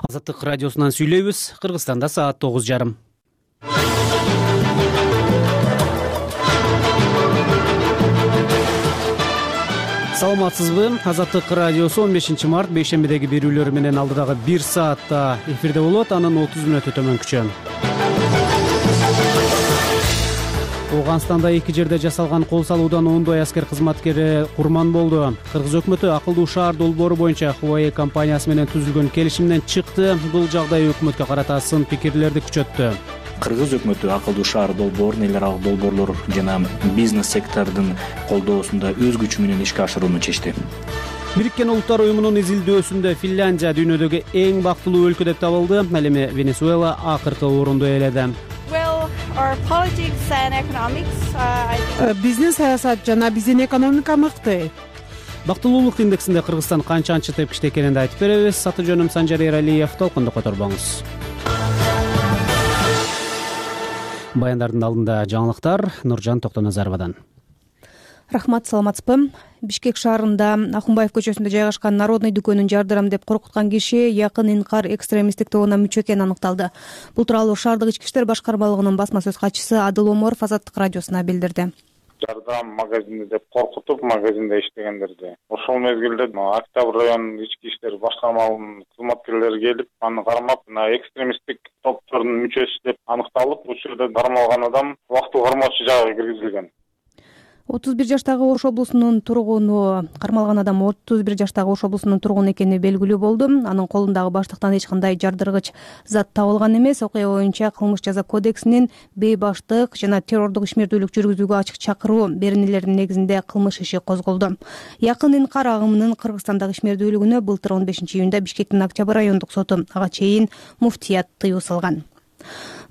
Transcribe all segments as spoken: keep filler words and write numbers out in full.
Азаттык радиосунан сүйлөйбүз. Кыргызстанда саат тогуз жарым. Саламатсызбы? Азаттык радиосу он бешинчи март бейшембидеги берүүлөрү менен алдыдагы бир саатта эфирде болот. Анын отуз мүнөтү төмөнкүчө. Ооганстанда эки жерде жасалган кол салуудан ондой аскер кызматкери курман болду. Кыргыз өкмөтү акылдуу шаар долбоору боюнча Huawei компаниясы менен түзүлгөн келишимден чыкты. Бул жагдай өкмөткө карата сын пикирлерди күчөттү. Кыргыз өкмөтү акылдуу шаар долбоорун эл аралык долбоорлор жана бизнес сектордун колдоосунда өз күчү менен ишке ашырууну чечти. Бириккен Улуттар уюмунун изилдөөсүндө Финляндия дүйнөдөгү эң бактылуу өлкө деп табылды. Ал эми Венесуэла акыркы орунду ээледи. Биздин саясат жана биздин экономика мыкты. Бактылуулук индексинде Кыргызстан канчанчы тепкичте экенин айтып беребиз. Аты жөнүм Санжар Эралиев. Толкунду которбоңуз. Баяндардын алдында жаңылыктар Нуржан Токтоназаровадан. Рахмат, саламатсызбы? Бишкек шаарында Акунбаев көчөсүндө жайгашкан Народный дүкөнүн жардырам деп коркуткан киши Якын Инкар экстремисттик тобуна мүчө экени аныкталды. Бул тууралуу шаардык ички иштер башкармалыгынын басма сөз катчысы Адыл Оморов Азаттык радиосуна билдирди. Жардам магазини деп коркутуп, магазинде иштегендерди. Ошол мезгилде Октябрь районунун ички иштер башкармалыгынын кызматкерлери келип, аны кармап, экстремисттик топтордун мүчөсү деп аныкталып, бул жерде кармалган адам убактылуу кармоочу жайга киргизилген. отуз бир жаштагы Ош облусунун тургуну кармалган адам отуз бир жаштагы Ош облусунун тургуну экени белгилүү болду. Анын колундагы баштыктан эч кандай жардыргыч зат табылган эмес. Окуя боюнча кылмыш жаза кодексинин бейбаштык жана террордук ишмердүүлүк жүргүзүүгө ачык чакыруу беренелеринин негизинде кылмыш иши козголду. Якын Инкар агымынын Кыргызстандагы ишмердүүлүгүнө былтыр он бешинчи июнда Бишкектин Октябрь райондук соту ага чейин муфтият тыюу салган.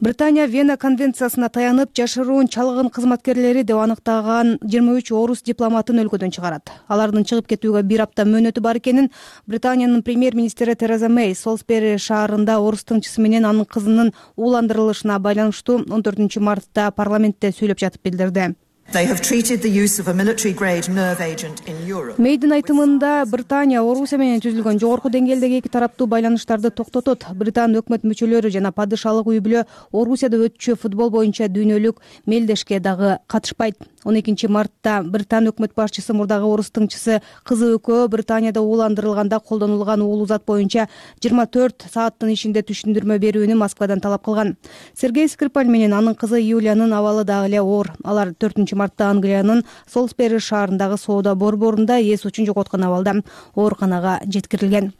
Британия Вена конвенциясына таянып жашыруун чалгын кызматкерлери деп аныктаган жыйырма үч орус дипломатын өлкөдөн чыгарат. Алардын чыгып кетүүгө бир апта мөөнөтү бар экенин Британиянын премьер-министри Тереза Мэй Солсбери шаарында орус тыңчысы менен анын кызынын ууландырылышына байланыштуу он төртүнчү мартта парламентте сүйлөп жатып билдирди. Мэйдин айтымында Британия Орусия менен түзүлгөн жогорку деңгээлдеги эки тараптуу байланыштарды токтотот. Британ өкмөт мүчөлөрү жана падышалык үй бүлө Орусияда өтчү футбол боюнча дүйнөлүк мелдешке дагы катышпайт. он экинчи мартта Британ өкмөт башчысы мурдагы орус тыңчысы кызы экөө Британияда ууландырылганда колдонулган уулуу зат боюнча жыйырма төрт сааттын ичинде түшүндүрмө берүүнү Москвадан талап кылган. Сергей Скрипаль менен анын кызы Юлиянын абалы дагы эле оор. Алар төртүнчү мартта Англиянын Солсбери шаарындагы соода борборунда эс учун жоготкон абалда ооруканага жеткирилген.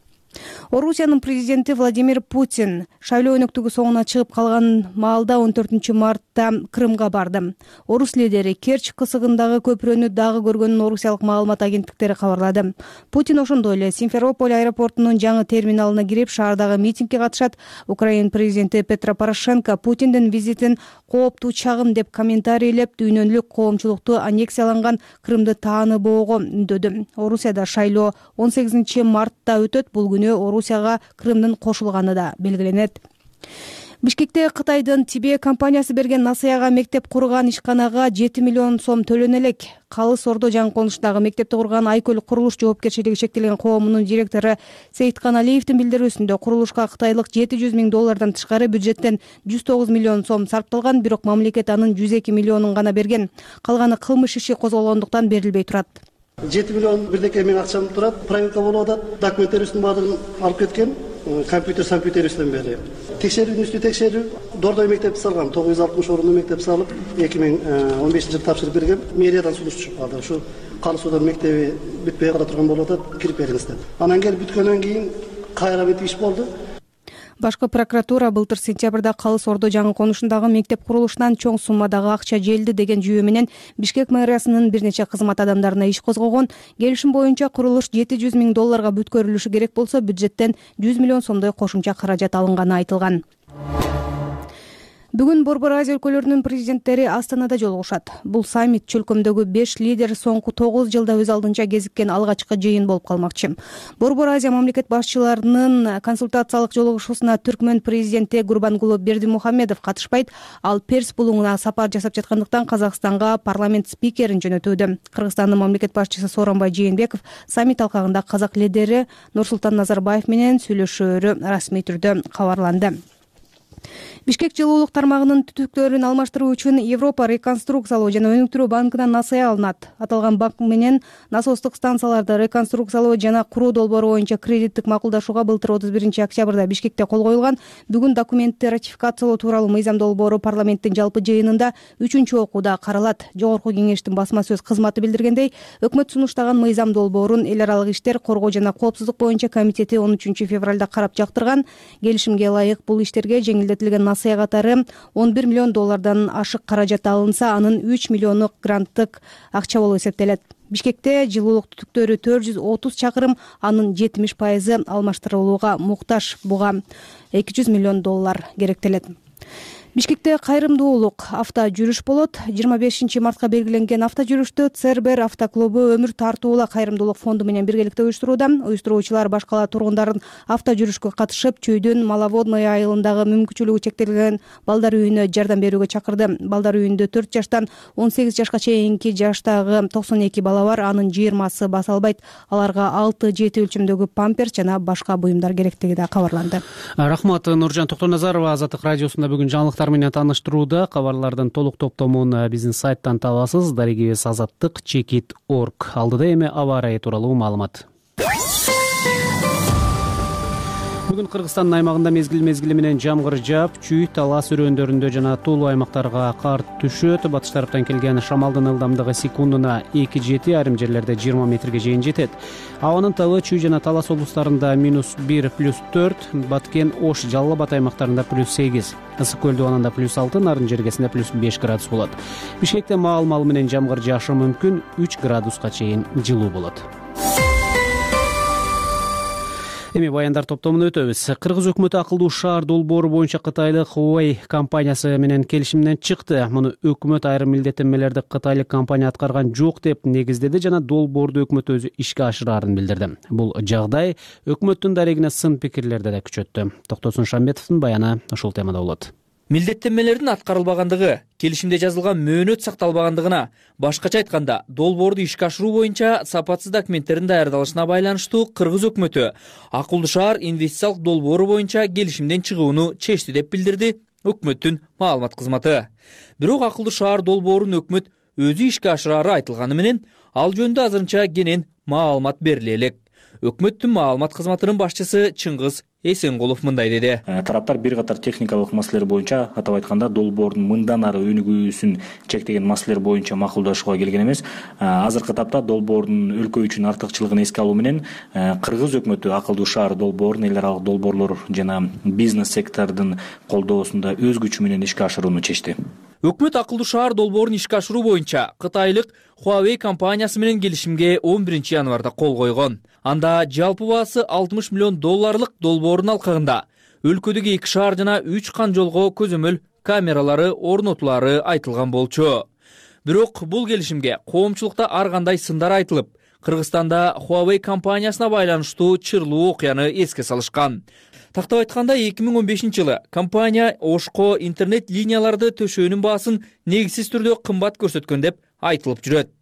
Орусиянын президенти Владимир Путин шайлоо өнөктүгү соңуна чыгып калган маалда он төртүнчү мартта Крымга барды. Орус лидери Керчь кысыгындагы көпүрөнү дагы көргөнүн орусиялык маалымат агенттиктери кабарлады. Путин ошондой эле Симферополь аэропортунун жаңы терминалына кирип шаардагы митингге катышат. Украина президенти Петро Порошенко Путиндин визитин кооптуу чагым деп комментарийлеп, дүйнөлүк коомчулукту аннексияланган Крымды тааныбоого үндөдү. Орусияда шайлоо он сегизинчи мартта өтөт. Бул күнү Орусияга Крымдын кошулганы да белгиленет. Бишкекте Кытайдын Тибе компаниясы берген насыяга мектеп курган ишканага жети миллион сом төлөнө элек. Калыс Ордо жаңы конуштагы мектепти курган Айкөл курулуш жоопкерчилиги шектелген коомунун директору Сейиткан Алиевдин билдирүүсүндө курулушка кытайлык жети жүз миң доллардан тышкары бюджеттен жүз тогуз миллион сом сарпталган, бирок мамлекет анын жүз эки миллионун гана берген. Калганы кылмыш иши козголгондуктан берилбей турат. жети миллион бирдеке миң акчам турат, проверка болуп атат, документтерибиздин баардыгын алып кеткен, компьютер компьютерибизден бери. Текшерүүнүн үстү текшерүү, Дордой мектепти салган, тогуз жүз алтымыш орунду мектеп салып, эки миң он бешинчи жылы тапшырып берген. Мэриядан сунуш чыгып калды. Ушу Калы Суудан мектеби бүтпөй кала турган болуп атат, кирип бериңиз деп. Анан келип бүткөндөн кийин кайра бүтүп иш болду. Башкы прокуратура былтыр сентябрда Калыс Ордо жаңы конушундагы мектеп курулушунан чоң суммадагы акча желди деген жүйө менен Бишкек мэриясынын бир нече кызмат адамдарына иш козгогон. Келишим боюнча курулуш жети жүз миң долларга бүткөрүлүшү керек болсо, бюджеттен жүз миллион сомдой кошумча каражат алынганы айтылган. Бүгүн Борбор Азия өлкөлөрүнүн президенттери Астанада жолугушат. Бул саммит чөлкөмдөгү беш лидер соңку тогуз жылда өз алдынча кезиккен алгачкы жыйын болуп калмакчы. Борбор Азия мамлекет башчыларынын консультациялык жолугушуусуна Түркмөн президенти Гурбангулы Бердимухамедов катышпайт. Ал Перс булуңуна сапар жасап жаткандыктан Казакстанга парламент спикерин жөнөтүүдө. Кыргызстандын мамлекет башчысы Сооронбай Жээнбеков саммит алкагында казак лидери Нурсултан Назарбаев менен сүйлөшөөрү расмий түрдө кабарланды. Бишкек жылуулук тармагынын түтүктөрүн алмаштыруу үчүн Европа реконструкциялоо жана өнүктүрүү банкынан насыя алынат. Аталган банк менен насостук станцияларды реконструкциялоо жана куруу долбоору боюнча кредиттик макулдашууга былтыр отуз биринчи октябрда Бишкекте кол коюлган. Бүгүн документти ратификациялоо тууралуу мыйзам долбоору парламенттин жалпы жыйынында үчүнчү окууда каралат. Жогорку кеңештин басма сөз кызматы билдиргендей, өкмөт сунуштаган мыйзам долбоорун эл аралык иштер, коргоо жана коопсуздук боюнча комитети он үчүнчү февралда карап жактырган. Келишимге ылайык бул иштерге жеңилдетилген насыя катары он бир миллион доллардан ашык каражат алынса, анын үч миллиону гранттык акча болуп эсептелет. Бишкекте жылуулук түтүктөрү төрт жүз отуз чакырым, анын жетимиш пайызы алмаштырылууга муктаж. Буга эки жүз миллион доллар керектелет. Бишкекте кайрымдуулук авто жүрүш болот. жыйырма бешинчи мартка белгиленген авто жүрүштү Цербер автоклубу Өмүр тартуула кайрымдуулук фонду менен биргеликте уюштурууда. Уюштуруучулар баш кала тургундарын авто жүрүшкө катышып, Чүйдүн Маловодный айылындагы мүмкүнчүлүгү чектелген балдар үйүнө жардам берүүгө чакырды. Балдар үйүндө төрт жаштан он сегиз жашка чейинки жаштагы токсон эки бала бар. Анын жыйырмасы баса албайт. Аларга алты жети өлчөмдөгү памперс жана башка буюмдар керектиги да кабарланды. Рахмат, Нуржан Токтоназарова. Азаттык радиосунда бүгүн жаңылыктар менен тааныштырууда. Кабарлардын толук топтомун биздин сайттан табасыз. Дарегибиз азаттык чекит точка орг. Алдыда эми аба ырайы тууралуу маалымат. Бүгүн Кыргызстандын аймагында мезгил мезгили менен жамгыр жаап, Чүй, Талас өрөөндөрүндө жана Тулу аймактарга кар түшөт. Батыш тараптан келген шамалдын ылдамдыгы секундуна эки жети, айрым жерлерде жыйырма метрге чейин жетет. Абанын табы Чүй жана Талас облустарында минус бир, плюс төрт, Баткен, Ош, Жалал Абад аймактарында плюс сегиз, Ысык көл дубанында плюс алты, Нарын жергесинде плюс беш градус болот. Бишкекте маал-мал менен жамгыр жаашы мүмкүн, үч градуска чейин жылуу болот. Эми баяндар топтомуна өтөбүз. Кыргыз өкмөтү акылдуу шаар долбоору боюнча кытайлык Huawei компаниясы менен келишимден чыкты. Муну өкмөт айрым милдеттенмелерди кытайлык компания аткарган жок деп негиздеди жана долбоорду өкмөт өзү ишке ашыраарын билдирди. Бул жагдай өкмөттүн дарегине сын пикирлерди да күчөттү. Токтосун Шамбетовдун баяны ушул темада болот. Милдеттенмелердин аткарылбагандыгы, келишимде жазылган мөөнөт сакталбагандыгына, башкача айтканда, долбоорду ишке ашыруу боюнча сапатсыз документтердин даярдалышына байланыштуу Кыргыз өкмөтү акылдуу шаар инвестициялык долбоору боюнча келишимден чыгууну чечти деп билдирди өкмөттүн маалымат кызматы. Бирок акылдуу шаар долбоорун өкмөт өзү ишке ашырары айтылганы менен, ал жөнүндө азырынча кенен маалымат бериле элек. Өкмөттүн маалымат кызматынын башчысы Чыңгыз Эсенкулов мындай деди. Тараптар бир катар техникалык маселелер боюнча, атап айтканда, долбоордун мындан ары өнүгүүсүн чектеген маселелер боюнча макулдашууга келген эмес. Азыркы тапта долбоордун өлкө үчүн артыкчылыгын эске алуу менен Кыргыз өкмөтү акылдуу шаар долбоорун эл аралык долбоорлор жана бизнес сектордун колдоосунда өз күчү менен ишке ашырууну чечти. Өкмөт акылдуу шаар долбоорун ишке ашыруу боюнча кытайлык Huawei компаниясы менен келишимге он биринчи январда кол койгон. Анда жалпы баасы алтымыш миллион долларлык долбоордун алкагында өлкөдөгү эки шаар жана үч кан жолго көзөмөл камералары орнотулары айтылган болчу. Бирок бул келишимге коомчулукта ар кандай сындар айтылып, Кыргызстанда Huawei компаниясына байланыштуу чырлуу окуяны эске салышкан. Тактап айтканда, эки миң он бешинчи жылы компания Ошко интернет линияларды төшөөнүн баасын негизсиз түрдө кымбат көрсөткөн деп айтылып жүрөт.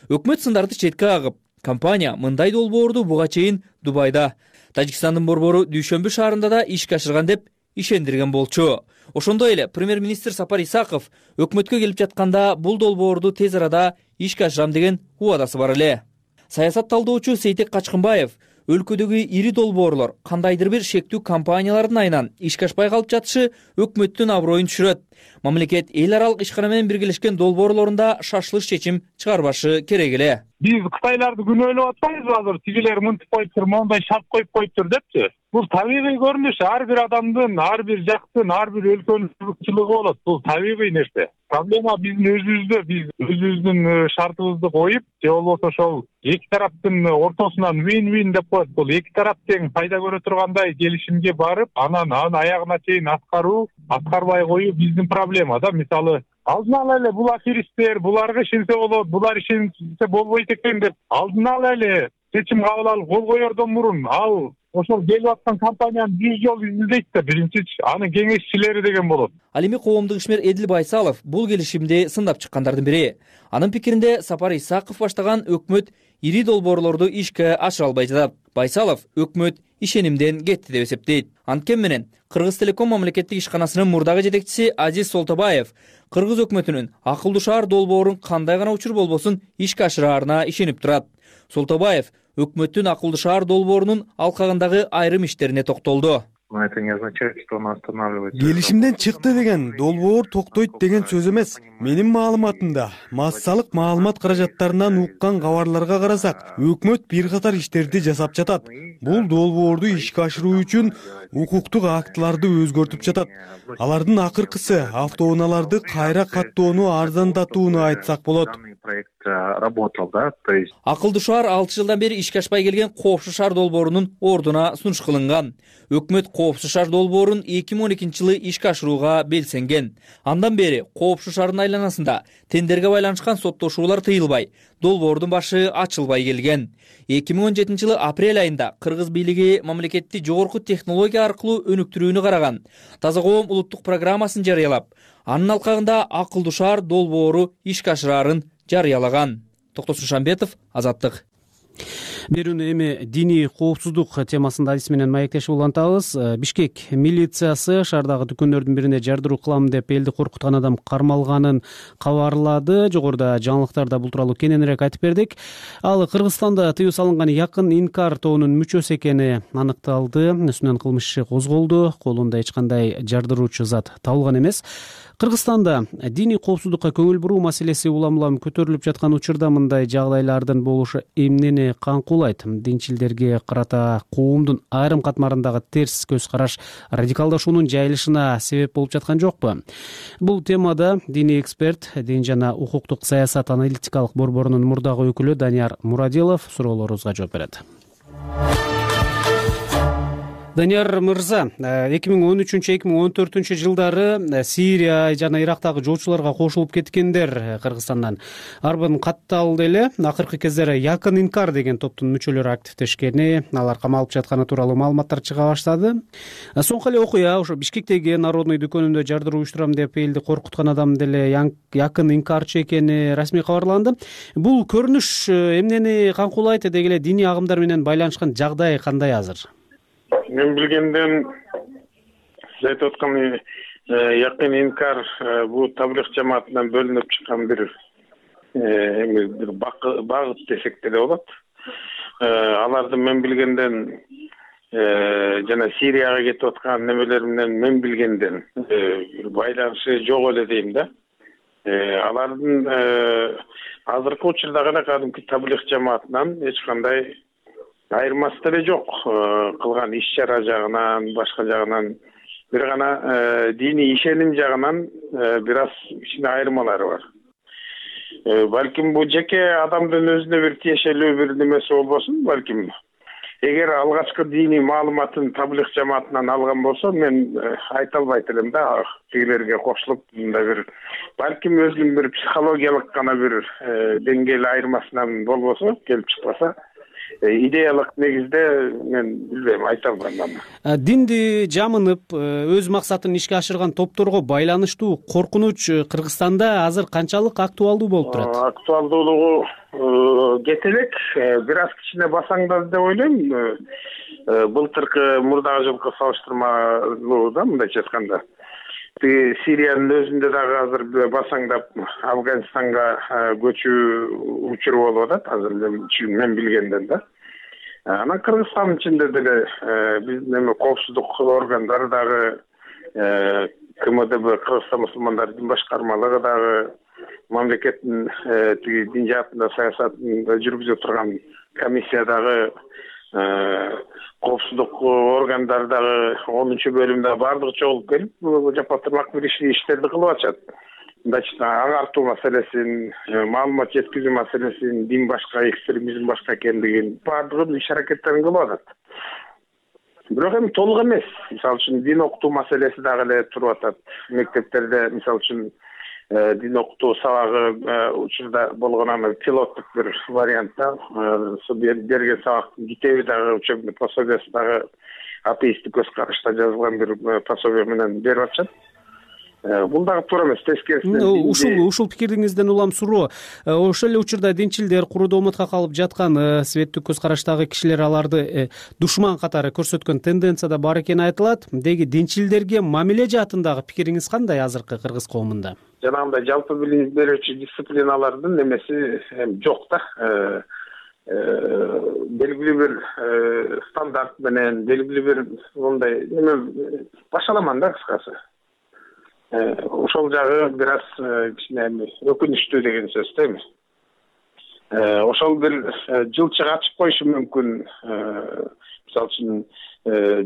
Өкмөт сындарды четке кагып, компания мындай долбоорду буга чейин Дубайда, Тажикстандын борбору Дүйшөмбү шаарында да ишке ашырган деп ишендирген болчу. Ошондой эле премьер-министр Сапар Исаков өкмөткө келип жатканда бул долбоорду тез арада ишке ашырам деген убадасы бар эле. Саясат талдоочу Сейтек Качкынбаев өлкөдөгү ири долбоорлор кандайдыр бир шектүү компаниялардын айынан ишке ашпай калып жатышы өкмөттүн аброюн түшүрөт. Мамлекет эл аралык ишкана менен биргелешкен долбоорлорунда шашылыш чечим чыгарбашы керек эле. Биз Кытайларды күнөөлөп атпайбызбы азыр? Тигилер мынтип коюптур, моундай шарт коюп коюптур депчи. бул табигый көрүнүш. Ар бир адамдын, ар бир жактын, ар бир өлкөнүн артыкчылыгы болот. Бул табигый нерсе. Проблема биздин өзүбүздө, биз өзүбүздүн шартыбызды коюп, же болбосо ошол эки тараптын ортосунан win-win деп коет. Бул эки тарап тең пайда көрө тургандай келишимге барып, анан анын аягына чейин аткаруу, аткарбай коюу биздин проблема да. Мисалы, алдын ала эле бул аферисттер, буларга ишенсе болот, булар ишенсе болбойт экен деп алдын ала эле чечим кабыл алып кол коердон мурун ал ошол келип аткан компанияны жүз жолу изилдейт да, биринчи анын кеңешчилери деген болот. Ал эми коомдук ишмер Эдил Байсалов бул келишимди сындап чыккандардын бири. Анын пикиринде Сапар Исаков баштаган өкмөт ири долбоорлорду ишке ашыра албай жатат. Байсалов өкмөт ишенимден кетти деп эсептейт. Анткени менен Кыргыз Телеком мамлекеттик ишканасынын мурдагы жетекчиси Азиз Солтобаев Кыргыз өкмөтүнүн акылдуу шаар долбоорун кандай гана учур болбосун ишке ашыраарына ишенип турат. Солтобаев өкмөттүн акылдуу шаар долбоорунун алкагындагы айрым иштерине токтолду. Это не означает, что он останавливается. Келишимден чыкты деген долбоор токтойт деген сөз эмес. Менин маалыматымда массалык маалымат каражаттарынан уккан кабарларга карасак, өкмөт бир катар иштерди жасап жатат. Бул долбоорду ишке ашыруу үчүн укуктук актыларды өзгөртүп жатат. Алардын акыркысы автоунааларды кайра каттоону арзандатууну айтсак болот. Проект работал, да, то есть Акылдуу шаар алты жылдан бери ишке ашпай келген коопсуз шаар долбоорунун ордуна сунуш кылынган. Өкмөт коопсуз шаар долбоорун эки миң он экинчи жылы ишке ашырууга белсенген. Андан бери коопсуз шаардын айланасында тендерге байланышкан соттошуулар тыйылбай, долбоордун башы ачылбай келген. эки миң он жетинчи жылы апрель айында Кыргыз бийлиги мамлекетти жогорку технология аркылуу өнүктүрүүнү караган Таза коом улуттук программасын жарыялап, анын алкагында акылдуу шаар долбоору ишке ашыраарын жарыялаган. Токтосун Шамбетов, Азаттык. Берүүнү эми диний коопсуздук темасында адис менен маектешип улантабыз. Бишкек милициясы шаардагы дүкөндөрдүн бирине жардыруу кылам деп элди коркуткан адам кармалганын кабарлады. Жогоруда жаңылыктарда бул тууралуу кененирээк айтып бердик. Ал Кыргызстанда тыюу салынган Якын Инкар тобунун мүчөсү экени аныкталды. Үстүнөн кылмыш иши козголду. Колунда эч кандай жардыруучу зат табылган эмес. Кыргызстанда диний коопсуздукка көңүл буруу маселеси улам-улам көтөрүлүп жаткан учурда мындай жагдайлардын болушу эмнени каңкуулайт? Динчилдерге карата коомдун айрым катмарындагы терс көз караш радикалдашуунун жайылышына себеп болуп жаткан жокпу? Бул темада диний эксперт, дин жана укуктук саясат аналитикалык борборунун мурдагы өкүлү Данияр Мурадилов суроолорубузга жооп берет. Данияр мырза, эки миң он үчүнчү эки миң он төртүнчү жылдары Сирия жана Ирактагы жоочуларга кошулуп кеткендер Кыргызстандан арбын катталды эле. Акыркы кездери Якын Инкар деген топтун мүчөлөрү активдешкени, алар камалып жатканы тууралуу маалыматтар чыга баштады. Соңку эле окуя ошо Бишкектеги Народный дүкөнүндө жардыруу уюштурам деп элди коркуткан адам деле Якын Инкарчы экени расмий кабарланды. Бул көрүнүш эмнени каңкуулайт, деги эле диний агымдар менен байланышкан жагдай кандай азыр? Мен билгенден сиз айтып аткан Якын Инкар бул таблих жамаатынан бөлүнүп чыккан бир эми бир багыт десек деле болот. Алардын мен билгенден жана Сирияга кетип аткан немелер менен мен билгенден бир байланышы жок эле дейм да. Алардын азыркы учурда гана кадимки таблих жамаатынан эч кандай айырмасы деле жок. Кылган иш чара жагынан, башка жагынан бир гана диний ишеним жагынан бир аз кичине айырмалары бар. Балким бул жеке адамдын өзүнө бир тиешелүү бир немеси болбосун, балким эгер алгачкы диний маалыматын таблих жамаатынан алган болсо, мен айта албайт элем да, тигилерге кошулуп мындай бир балким өзүнүн бир психологиялык гана бир деңгээл айырмасынан болбосо, келип чыкпаса, идеялык негизде мен билбейм, айта албайм. Динди жамынып, өз максатын ишке ашырган топторго байланыштуу коркунуч Кыргызстанда азыр канчалык актуалдуу болуп турат? Актуалдуулугу кете элек, бир аз кичине басаңдады деп ойлойм. Былтыркы мурдагы жылкы салыштырмалуу да, мындайча айтканда. Сириянын өзүндө дагы азыр басаңдап Афганистанга көчүү учуру болуп атат, азыр мен билгенден да. Анан Кыргызстандын ичинде деле биздин эми коопсуздук органдары дагы КМДБ, Кыргызстан мусулмандар дин башкармалыгы дагы мамлекеттин тиги дин жаатында саясатын жүргүзүп турган комиссия дагы коопсуздук органдары дагы онунчу бөлүмдө баардыгы чогулуп келип жапатырлак бир иштерди кылып атышат. Значит, агартуу маселесин, маалымат жеткизүү маселесин, дин башка, экстремизм башка экендигин баардыгын иш аракеттерин кылып атат. Бирок эми толук эмес. Мисалы үчүн дин окутуу маселеси дагы эле туруп атат. Мектептерде мисалы үчүн дин окутуу сабагы учурда болгон аны пилоттук бир вариантта берген сабактын китеби дагы учебный пособиясы дагы атеисттик көз карашта жазылган бир пособие менен берип атышат. Бул дагы туура эмес. Тескерисинен ушул ушул пикириңизден улам суроо. Ошол эле учурда динчилдер курудуу умутка калып жаткан светтик көз караштагы кишилер аларды душман катары көрсөткөн тенденцияда бар экени айтылат. Деги динчилдерге мамиле жаатындагы пикириңиз кандай азыркы кыргыз коомунда? Жанагындай жалпы билим берүүчү дисциплиналардын немеси жок да. Белгилүү бир стандарт менен, белгилүү бир мындай неме башаламан да кыскасы. Ошол жагы бир аз кичине өкүнүчтүү деген сөз дейми. Ошол бир жылчык ачып коюшу мүмкүн. Мисалы үчүн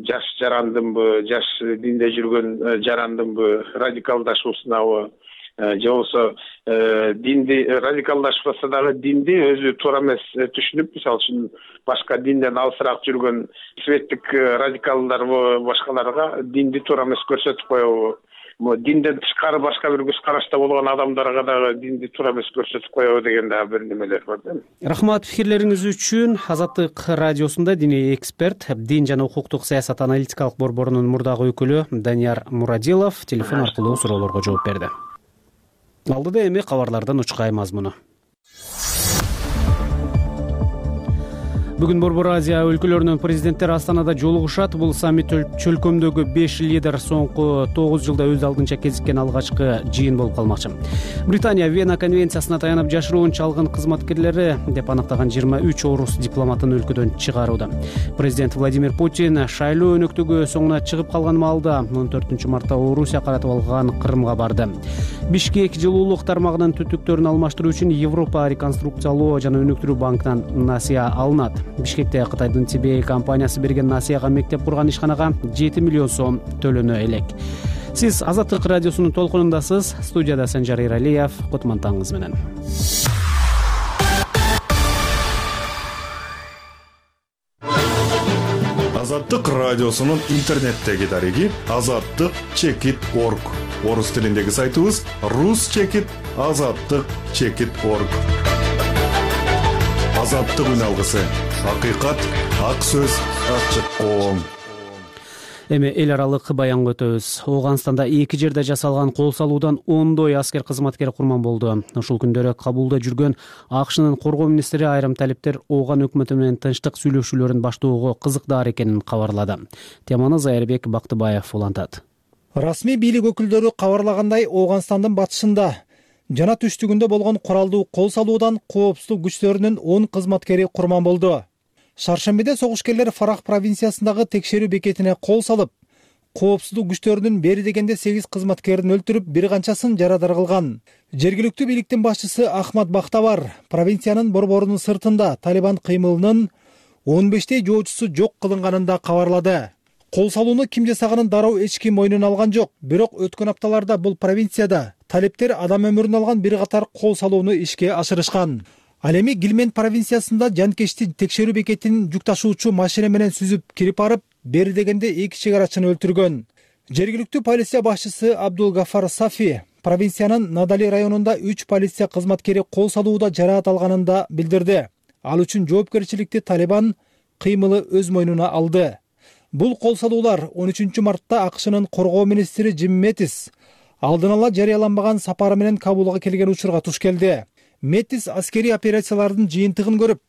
жаш жарандымбы, жаш динде жүргөн жарандымбы, радикалдашуусунабы, же болбосо динди радикалдашпаса дагы динди өзү туура эмес түшүнүп, мисалы үчүн башка динден алысыраак жүргөн светтик радикалдар башкаларга динди туура эмес көрсөтүп коебу. Динден тышкары башка бир көз карашта болгон адамдарга дагы динди туура эмес көрсөтүп коебу деген дагы бир немелер бар да. Рахмат пикирлериңиз үчүн. Азаттык радиосунда диний эксперт, дин жана укуктук саясат аналитикалык борборунун мурдагы өкүлү Данияр Мурадилов телефон аркылуу суроолорго жооп берди. Алдыда эми кабарлардан учкай мазмуну. Бүгүн Борбор Азия өлкөлөрүнүн президенттери Астанада жолугушат. Бул саммит чөлкөмдөгү беш лидер соңку тогуз жылда өз алдынча кезиккен алгачкы жыйын болуп калмакчы. Британия Вена конвенциясына таянып жашыруун чалгын кызматкерлери деп аныктаган жыйырма үч орус дипломатын өлкөдөн чыгарууда. Президент Владимир Путин шайлоо өнөктүгү соңуна чыгып калган маалда он төртүнчү мартта Орусия каратып алган Крымга барды. Бишкек жылуулук тармагынын түтүктөрүн алмаштыруу үчүн Европа реконструкциялоо жана өнүктүрүү банкынан насыя алынат. Бишкекте Кытайдын Тибей компаниясы берген насыяга мектеп курган ишканага жети миллион сом төлөнө элек. Сиз Азаттык радиосунун толкунундасыз. Студияда Санжар Иралиев. Кутман таңыңыз менен. Азаттык радиосунун интернеттеги дареги азаттык чекит точка орг. Орус тилиндеги сайтыбыз рус чекит азаттык чекит точка орг. Азаттык үн алгысы. Акыйкат, ак сөз, ачык коом. Эми эл аралык баянга өтөбүз. Ооганстанда эки жерде жасалган кол салуудан ондой аскер кызматкери курман болду. Ушул күндөрү Кабулда жүргөн АКШнын коргоо министри айрым талиптер Ооган өкмөтү менен тынчтык сүйлөшүүлөрүн баштоого кызыктаар экенин кабарлады. Теманы Зайырбек Бактыбаев улантат. Расмий бийлик өкүлдөрү кабарлагандай, Ооганстандын батышында жана түштүгүндө болгон куралдуу кол салуудан коопсуздук күчтөрүнүн он кызматкери курман болду. Шаршембиде согушкерлер Фарах провинциясындагы текшерүү бекетине кол салып, коопсуздук күчтөрүнүн бери дегенде сегиз кызматкерин өлтүрүп, бир канчасын жарадар кылган. Жергиликтүү бийликтин башчысы Ахмад Бахтавар провинциянын борборунун сыртында Талибан кыймылынын он бештей жоочусу жок кылынганын да кабарлады. Кол салууну ким жасаганын дароо эч ким мойнуна алган жок. Бирок өткөн апталарда бул провинцияда талиптер адам өмүрүн алган бир катар кол салууну ишке ашырышкан. Ал эми Гилмен провинциясында жанкечти текшерүү бекетин жүк ташуучу машина менен сүзүп кирип барып, бери дегенде эки чек арачыны өлтүргөн. Жергиликтүү полиция башчысы Абдул Гафар Сафи провинциянын Надали районунда үч полиция кызматкери кол салууда жараат алганын да билдирди. Ал үчүн жоопкерчиликти Талибан кыймылы өз мойнуна алды. Бул кол салуулар он үчүнчү мартта АКШнын коргоо министри Джим Мэттис алдын ала жарыяланбаган сапары менен Кабулга келген учурга туш келди. Мэттис аскерий операциялардын жыйынтыгын көрүп,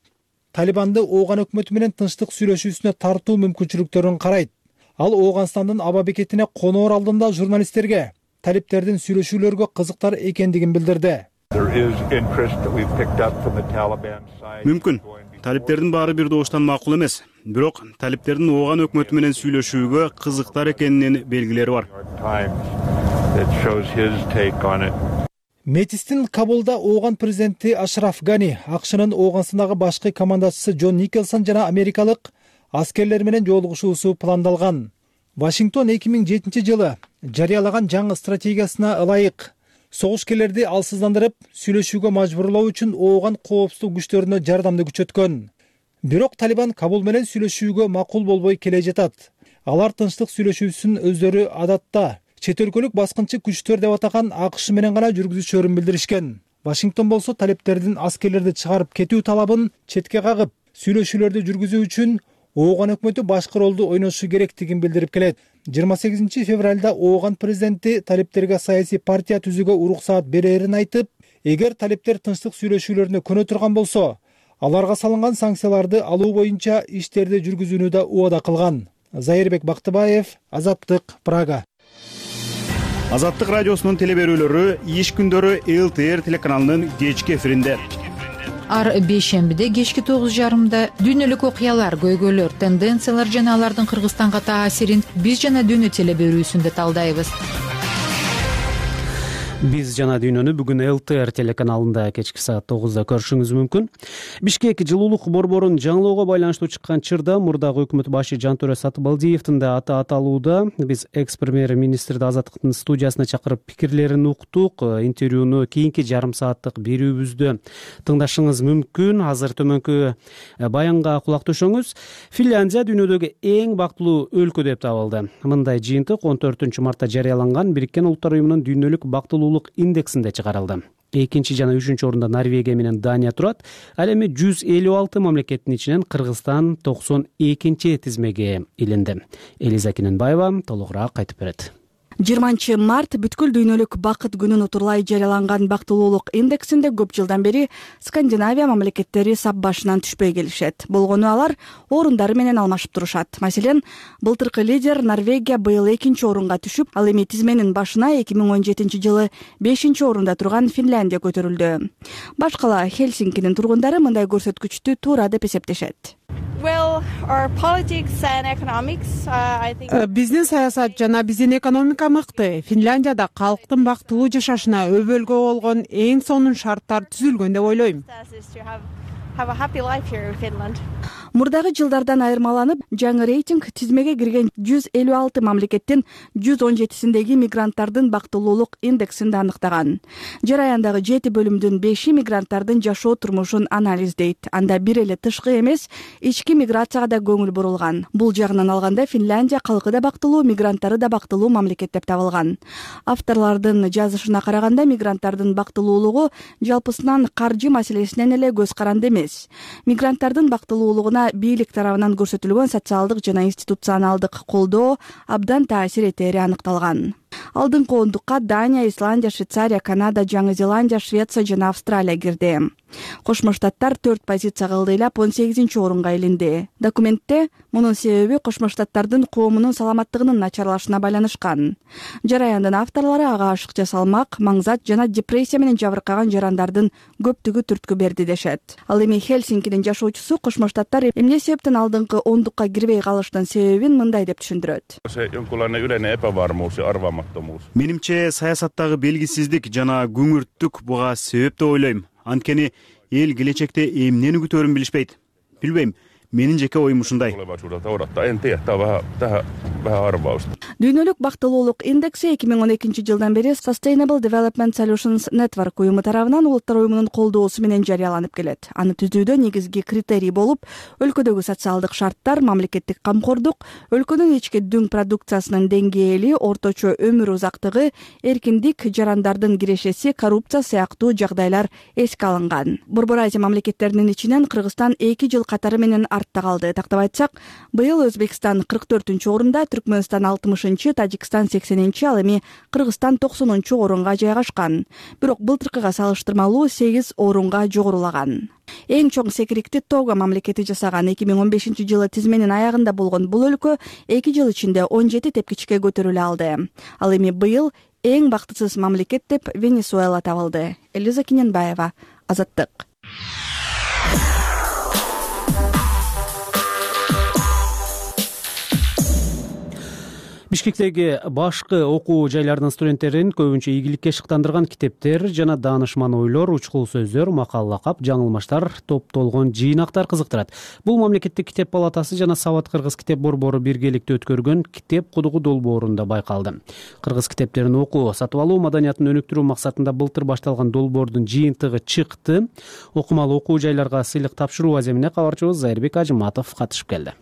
Талибанды Ооган өкмөтү менен тынчтык сүйлөшүүсүнө тартуу мүмкүнчүлүктөрүн карайт. Ал Ооганстандын аба бекетине коноор алдында журналисттерге талиптердин сүйлөшүүлөргө кызыктар экендигин билдирди. Мүмкүн талиптердин баары бир добуштан макул эмес, бирок талиптердин Ооган өкмөтү менен сүйлөшүүгө кызыктар экенинин белгилери бар. Мэттистин Кабулда Ооган президенти Ашраф Гани, АКШнын Ооганстандагы башкы командачысы Джон Николсон жана америкалык аскерлер менен жолугушуусу пландалган. Вашингтон эки миң жетинчи жылы жарыялаган жаңы стратегиясына ылайык согушкерлерди алсыздандырып, сүйлөшүүгө мажбурлоо үчүн ооган коопсуздук күчтөрүнө жардамды күчөткөн. Бирок Талибан Кабул менен сүйлөшүүгө макул болбой келе жатат. Алар тынчтык сүйлөшүүсүн өздөрү адатта чет өлкөлүк баскынчы күчтөр деп атаган АКШ менен гана жүргүзүшөрүн билдиришкен. Вашингтон болсо талептердин аскерлерди чыгарып кетүү талабын четке кагып, сүйлөшүүлөрдү жүргүзүү үчүн ооган өкмөтү башкы ролду ойношу керектигин билдирип келет. жыйырма сегизинчи февралда ооган президенти талептерге саясий партия түзүүгө уруксаат берерин айтып, эгер талептер тынчтык сүйлөшүүлөрүнө көнө турган болсо, аларга салынган санкцияларды алуу боюнча иштерди жүргүзүүнү да убада кылган. Зайырбек Бактыбаев, Азаттык, Прага. Азаттык радиосунун телеберүүлөрү иш күндөрү эл тэ эр телеканалынын кечки эфиринде. Ар бейшембиде кечки тогуз жарымда дүйнөлүк окуялар, көйгөйлөр, тенденциялар жана алардын Кыргызстанга таасирин биз жана дүйнө телеберүүсүндө талдайбыз. Биз жана дүйнөнү бүгүн эл тэ эр телеканалында кечки саат тогузда көрүшүңүз мүмкүн. Бишкек жылуулук борборун жаңылоого байланыштуу чыккан чырда мурдагы өкмөт башы Жантөрө Сатыбалдиевдин да аты аталууда. Биз экс премьер министрди Азаттыктын студиясына чакырып пикирлерин уктук. Интервьюну кийинки жарым сааттык берүүбүздө тыңдашыңыз мүмкүн. Азыр төмөнкү баянга кулак төшөңүз. Финляндия дүйнөдөгү эң бактылуу өлкө деп табылды. Мындай жыйынтык он төртүнчү мартта жарыяланган Бириккен Улуттар уюмунун дүйнөлүк бактылуулук индексинде чыгарылды. Экинчи жана үчүнчү орунда Норвегия менен Дания турат. Ал эми жүз элүү алты мамлекеттин ичинен Кыргызстан токсон экинчи тизмеге илинди. Элиза Кененбаева толугураак айтып берет. жыйырманчы март бүткүл дүйнөлүк бакыт күнүн утурлай жарыяланган бактылуулук индексинде көп жылдан бери Скандинавия мамлекеттери сап башынан түшпөй келишет. Болгону алар орундары менен алмашып турушат. Маселен, былтыркы лидер Норвегия быйыл экинчи орунга түшүп, ал эми тизменин башына эки миң он жетинчи жылы бешинчи орунда турган Финляндия көтөрүлдү. Башкала Хельсинкинин тургундары мындай көрсөткүчтү туура деп эсептешет. Биздин саясат жана биздин экономика мыкты. Финляндияда калктын бактылуу жашашына өбөлгө болгон эң сонун шарттар түзүлгөн деп ойлойм. Мурдагы жылдардан айырмаланып, жаңы рейтинг тизмеге кирген жүз элүү алты мамлекеттин жүз он жетисиндеги мигранттардын бактылуулук индексинде аныктаган. Жараяндагы жети бөлүмдүн беши мигранттардын жашоо турмушун анализдейт. Анда бир эле тышкы эмес, ички миграцияга да көңүл бурулган. Бул жагынан алганда Финляндия калкы да бактылуу, мигранттары да бактылуу мамлекет деп табылган. Авторлордун жазышына караганда, мигранттардын бактылуулугу жалпысынан каржы маселесинен эле көз каранды эмес. Мигранттардын бактылуулугуна бийлик тарабынан көрсөтүлгөн социалдык жана институционалдык колдоо абдан таасир этери аныкталган. Алдыңкы ондукка Дания, Исландия, Швейцария, Канада, Жаңы Зеландия, Швеция жана Австралия кирди. Кошмо Штаттар төрт позицияга ылдыйлап он сегизинчи орунга илинди. Документте мунун себеби Кошмо Штаттардын коомунун саламаттыгынын начарлашына байланышкан. Жараяндын авторлору ага ашыкча салмак, маңзат жана депрессия менен жабыркаган жарандардын көптүгү түрткү берди дешет. Ал эми Хельсинкинин жашоочусу Кошмо Штаттар эмне себептен алдыңкы ондукка кирбей калыштын себебин мындай деп түшүндүрөт. Менимче саясаттагы белгисиздик жана күңүрттүк буга себеп деп ойлойм. Анткени эл келечекте эмнени күтөөрүн билишпейт. Билбейм. Менин жеке оюм ушундай. Дүйнөлүк бактылуулук индекси эки миң он экинчи жылдан бери Sustainable Development Solutions Network уюму тарабынан Улуттар уюмунун колдоосу менен жарыяланып келет. Аны түзүүдө негизги критерий болуп, өлкөдөгү социалдык шарттар, мамлекеттик камкордук, өлкөнүн ички дүң продукциясынын деңгээли, орточо өмүр узактыгы, эркиндик, жарандардын кирешеси, коррупция сыяктуу жагдайлар эске алынган. Борбор Азия мамлекеттеринин ичинен Кыргызстан эки жыл катары менен артта калды. Тактап айтсак, быйыл Өзбекстан кырк төртүнчү орунда, Түркмөнстан алтымышынчы, Тажикстан сексенинчи, ал эми Кыргызстан токсонунчу орунга жайгашкан. Бирок былтыркыга салыштырмалуу сегиз орунга жогорулаган. Эң чоң секирикти Того мамлекети жасаган. эки миң он бешинчи жылы тизменин аягында болгон бул өлкө эки жыл ичинде он жети тепкичке көтөрүлө алды. Ал эми быйыл эң бактысыз мамлекет деп Венесуэла табылды. Элиза Кененбаева, Азаттык. Бишкектеги башкы окуу жайларынын студенттерин көбүнчө ийгиликке шыктандырган китептер жана даанышман ойлор, учкул сөздөр, макал лакап, жаңылмаштар топтолгон жыйнактар кызыктырат. Бул мамлекеттик китеп палатасы жана Сабат кыргыз китеп борбору биргеликте өткөргөн китеп кудугу долбоорунда байкалды. Кыргыз китептерин окуу, сатып алуу маданиятын өнүктүрүү максатында былтыр башталган долбоордун жыйынтыгы чыкты. Окумал окуу жайларга сыйлык тапшыруу аземине кабарчыбыз Зайырбек Ажыматов катышып келди.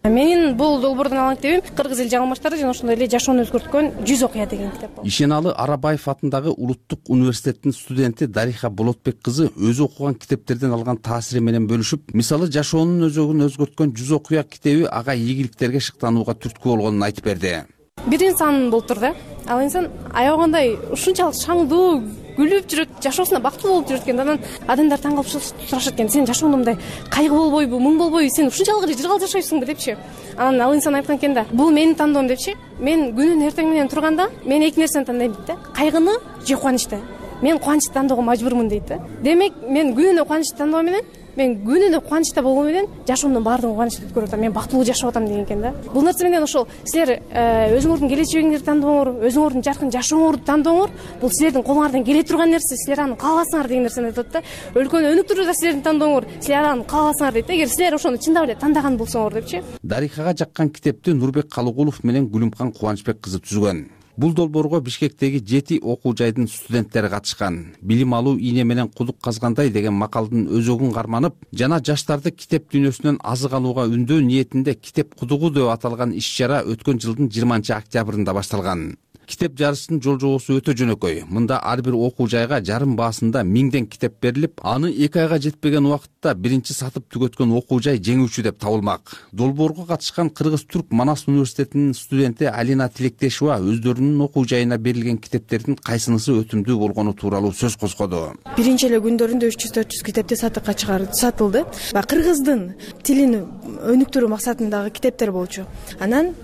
Менин бул долбоордун алан китебим Кыргыз эл жаңылмаштары жана ошондой эле жашоону өзгөрткөн жүз окуя деген китеп болот. Ишеналы Арабаев атындагы Улуттук университеттин студенти Дариха Болотбек кызы өзү окуган китептерден алган таасири менен бөлүшүп, мисалы жашоонун өзөгүн өзгөрткөн жүз окуя китеби ага ийгиликтерге шыктанууга түрткү болгонун айтып берди. Бир инсан болуптур да. Ал инсан аябагандай ушунчалык шаңдуу, күлүп жүрөт, жашоосуна бактылуу болуп жүрөт экен. Анан адамдар таң калып сурашат экен: "Сен жашооңдо мындай кайгы болбойбу, мұң болбойбу? Сен ушунчалык эле жыргал жашайсыңбы?" депчи. Анан ал инсан айткан экен да: "Бул менин тандоом" депчи. "Мен күнүнө эртең менен турганда, мен эки нерсени тандайм" дейт да. Кайгыны же кубанычты. "Мен кубанычты тандоого мажбурмун" дейт да. Демек, мен күнүнө кубанычты тандоо менен, мен күнүнө кубанычта болгоо менен жашоомдун баардыгын кубанычта өткөрүп атам. Мен бактылуу жашап атам деген экен да. Бул нерсе менен ошол силер өзүңөрдүн келечегиңерди тандооңор, өзүңөрдүн жаркын жашооңорду тандооңор, бул силердин колуңардан келе турган нерсе, силер аны кааласаңар деген нерсени айтат да. Өлкөнү өнүктүрүү да силердин тандооңор, силер аны кааласаңар дейт да. Эгер силер ошону чындап эле тандаган болсоңор депчи. Дарихага жаккан китепти Нурбек Калыгулов менен Гүлүмкан Кубанычбек кызы түзгөн. Бул долбоорго Бишкектеги жети окуу жайдын студенттери катышкан. Билим алуу ийне менен кудук казгандай деген макалдын өзөгүн карманып жана жаштарды китеп дүйнөсүнөн азык алууга үндөө ниетинде китеп кудугу деп аталган иш-чара өткөн жылдын жыйырманчы октябрында башталган. Китеп жарыштын жол жобосу өтө жөнөкөй. Мында ар бир окуу жайга жарым баасында миңден китеп берилип, аны эки айга жетпеген убакытта биринчи сатып түгөткөн окуу жай жеңүүчү деп табылмак. Долбоорго катышкан Кыргыз-Түрк Манас университетинин студенти Алина Тилектешова өздөрүнүн окуу жайына берилген китептердин кайсынысы өтүмдүү болгону тууралуу сөз козгоду. Биринчи эле күндөрүндө үч жүз төрт жүз китепти сатыкка чыгарып сатылды. Кыргыздын тилин өнүктүрүү максатындагы китептер болчу. Анан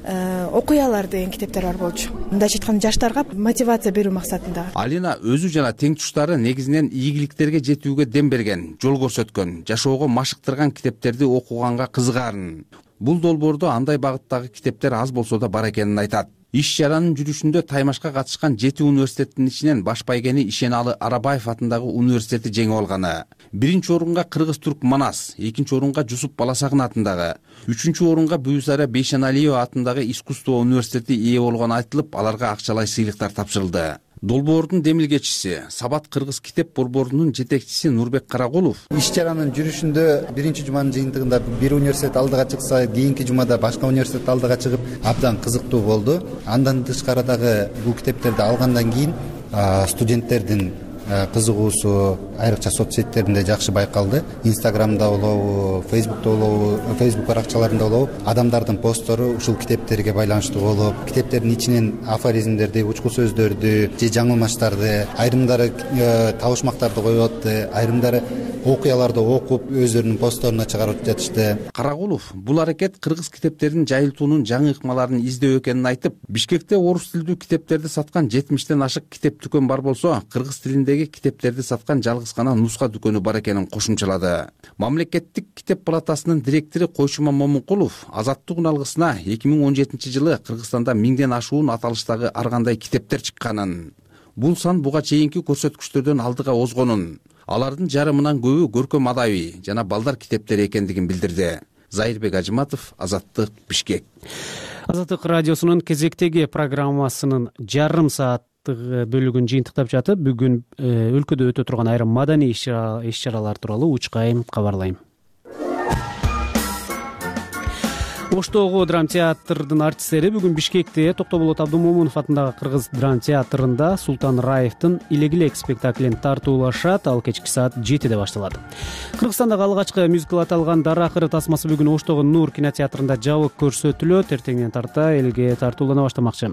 окуялар деген китептер бар болчу. Мындай жаштарга мотивация берүү максатында. Алина өзү жана тең туштары негизинен ийгиликтерге жетүүгө дем берген, жол көрсөткөн, жашоого машыктырган китептерди окуганга кызыгаарын. Бул долбоордо андай багыттагы китептер аз болсо да бар экенин айтат. Иш-чаранын жүрүшүндө Таймашка катышкан жети университеттин ичинен баш байгени Ишеналы Арабаев атындагы университети жеңип алганы. Биринчи орунга Кыргыз-Түрк Манас, экинчи орунга Жусуп Баласагын атындагы, үчүнчү орунга Бүйүсара Бейшеналиева атындагы искусство университети ээ болгону айтылып, аларга акчалай сыйлыктар тапшырылды. Долбоордун демилгечиси, Сабат кыргыз китеп борборунун жетекчиси Нурбек Карагулов: иш-чаранын жүрүшүндө биринчи жуманын жыйынтыгында бир университет алдыга чыкса, кийинки жумада башка университет алдыга чыгып, абдан кызыктуу болду. Андан тышкарыдагы бул китептерди алгандан кийин студенттердин кызыгуусу айрыкча соц сеттеринде жакшы байкалды. Инстаграмда болобу, Фейсбукта болобу, Фейсбук баракчаларында болобу адамдардын посттору ушул китептерге байланыштуу болуп, китептердин ичинен афоризмдерди, учкул сөздөрдү же жаңылмаштарды, айрымдары табышмактарды коюп атты, айрымдары окуяларды окуп өздөрүнүн постторуна чыгарып жатышты. Карагулов бул аракет кыргыз китептерин жайылтуунун жаңы ыкмаларын издөө экенин айтып, Бишкекте орус тилдүү китептерди саткан жетимиштен ашык китеп дүкөн бар болсо, кыргыз тилиндеги китептерди саткан жалгыз гана нуска дүкөнү бар экенин кошумчалады. Мамлекеттик китеп палатасынын директору Койшума Момункулов Азаттык уналгысына эки миң он жетинчи жылы Кыргызстанда миңден ашуун аталыштагы ар кандай китептер чыкканын, бул сан буга чейинки көрсөткүчтөрдөн алдыга озгонун, алардын жарымынан көбү көркөм адаби жана балдар китептери экендигин билдирди. Зайырбек Ажыматов, Азаттык, Бишкек. Азаттык радиосунун кезектеги программасынын жарым саат бөлүгүн жыйынтыктап жатып, бүгүн өлкөдө өтө турган айрым маданий иш-чаралар тууралуу учкай кабарлайм. Оштогу драм театрдын артисттери бүгүн Бишкекте Токтоболот Абдумомунов атындагы Кыргыз драм театрында Султан Раевдин Илегилек спектаклин тартуулашат. Ал кечки саат жетиде башталат. Кыргызстандагы алгачкы мюзикл аталган Дара акыры тасмасы бүгүн Оштогу Нур кинотеатрында жабык көрсөтүлөт. Эртеңден тарта элге тартуулана баштамакчы.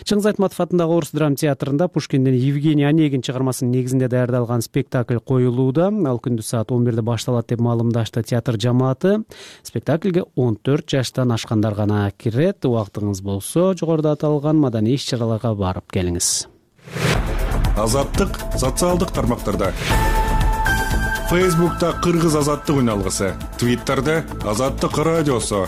Чыңгыз Айтматов атындагы Орус драм театрында Пушкиндин Евгений Онегин чыгармасынын негизинде даярдалган спектакль коюлууда. Ал күндүз саат он бирде башталат деп маалымдашты театр жамааты. Спектакльге он төрт жаштан ашкандар гана кирет. Убактыңыз болсо, жогоруда аталган маданий иш-чараларга барып келиңиз. Азаттык социалдык тармактарда. Фейсбукта Кыргыз азаттык үналгысы, Твиттерде Азаттык радиосу,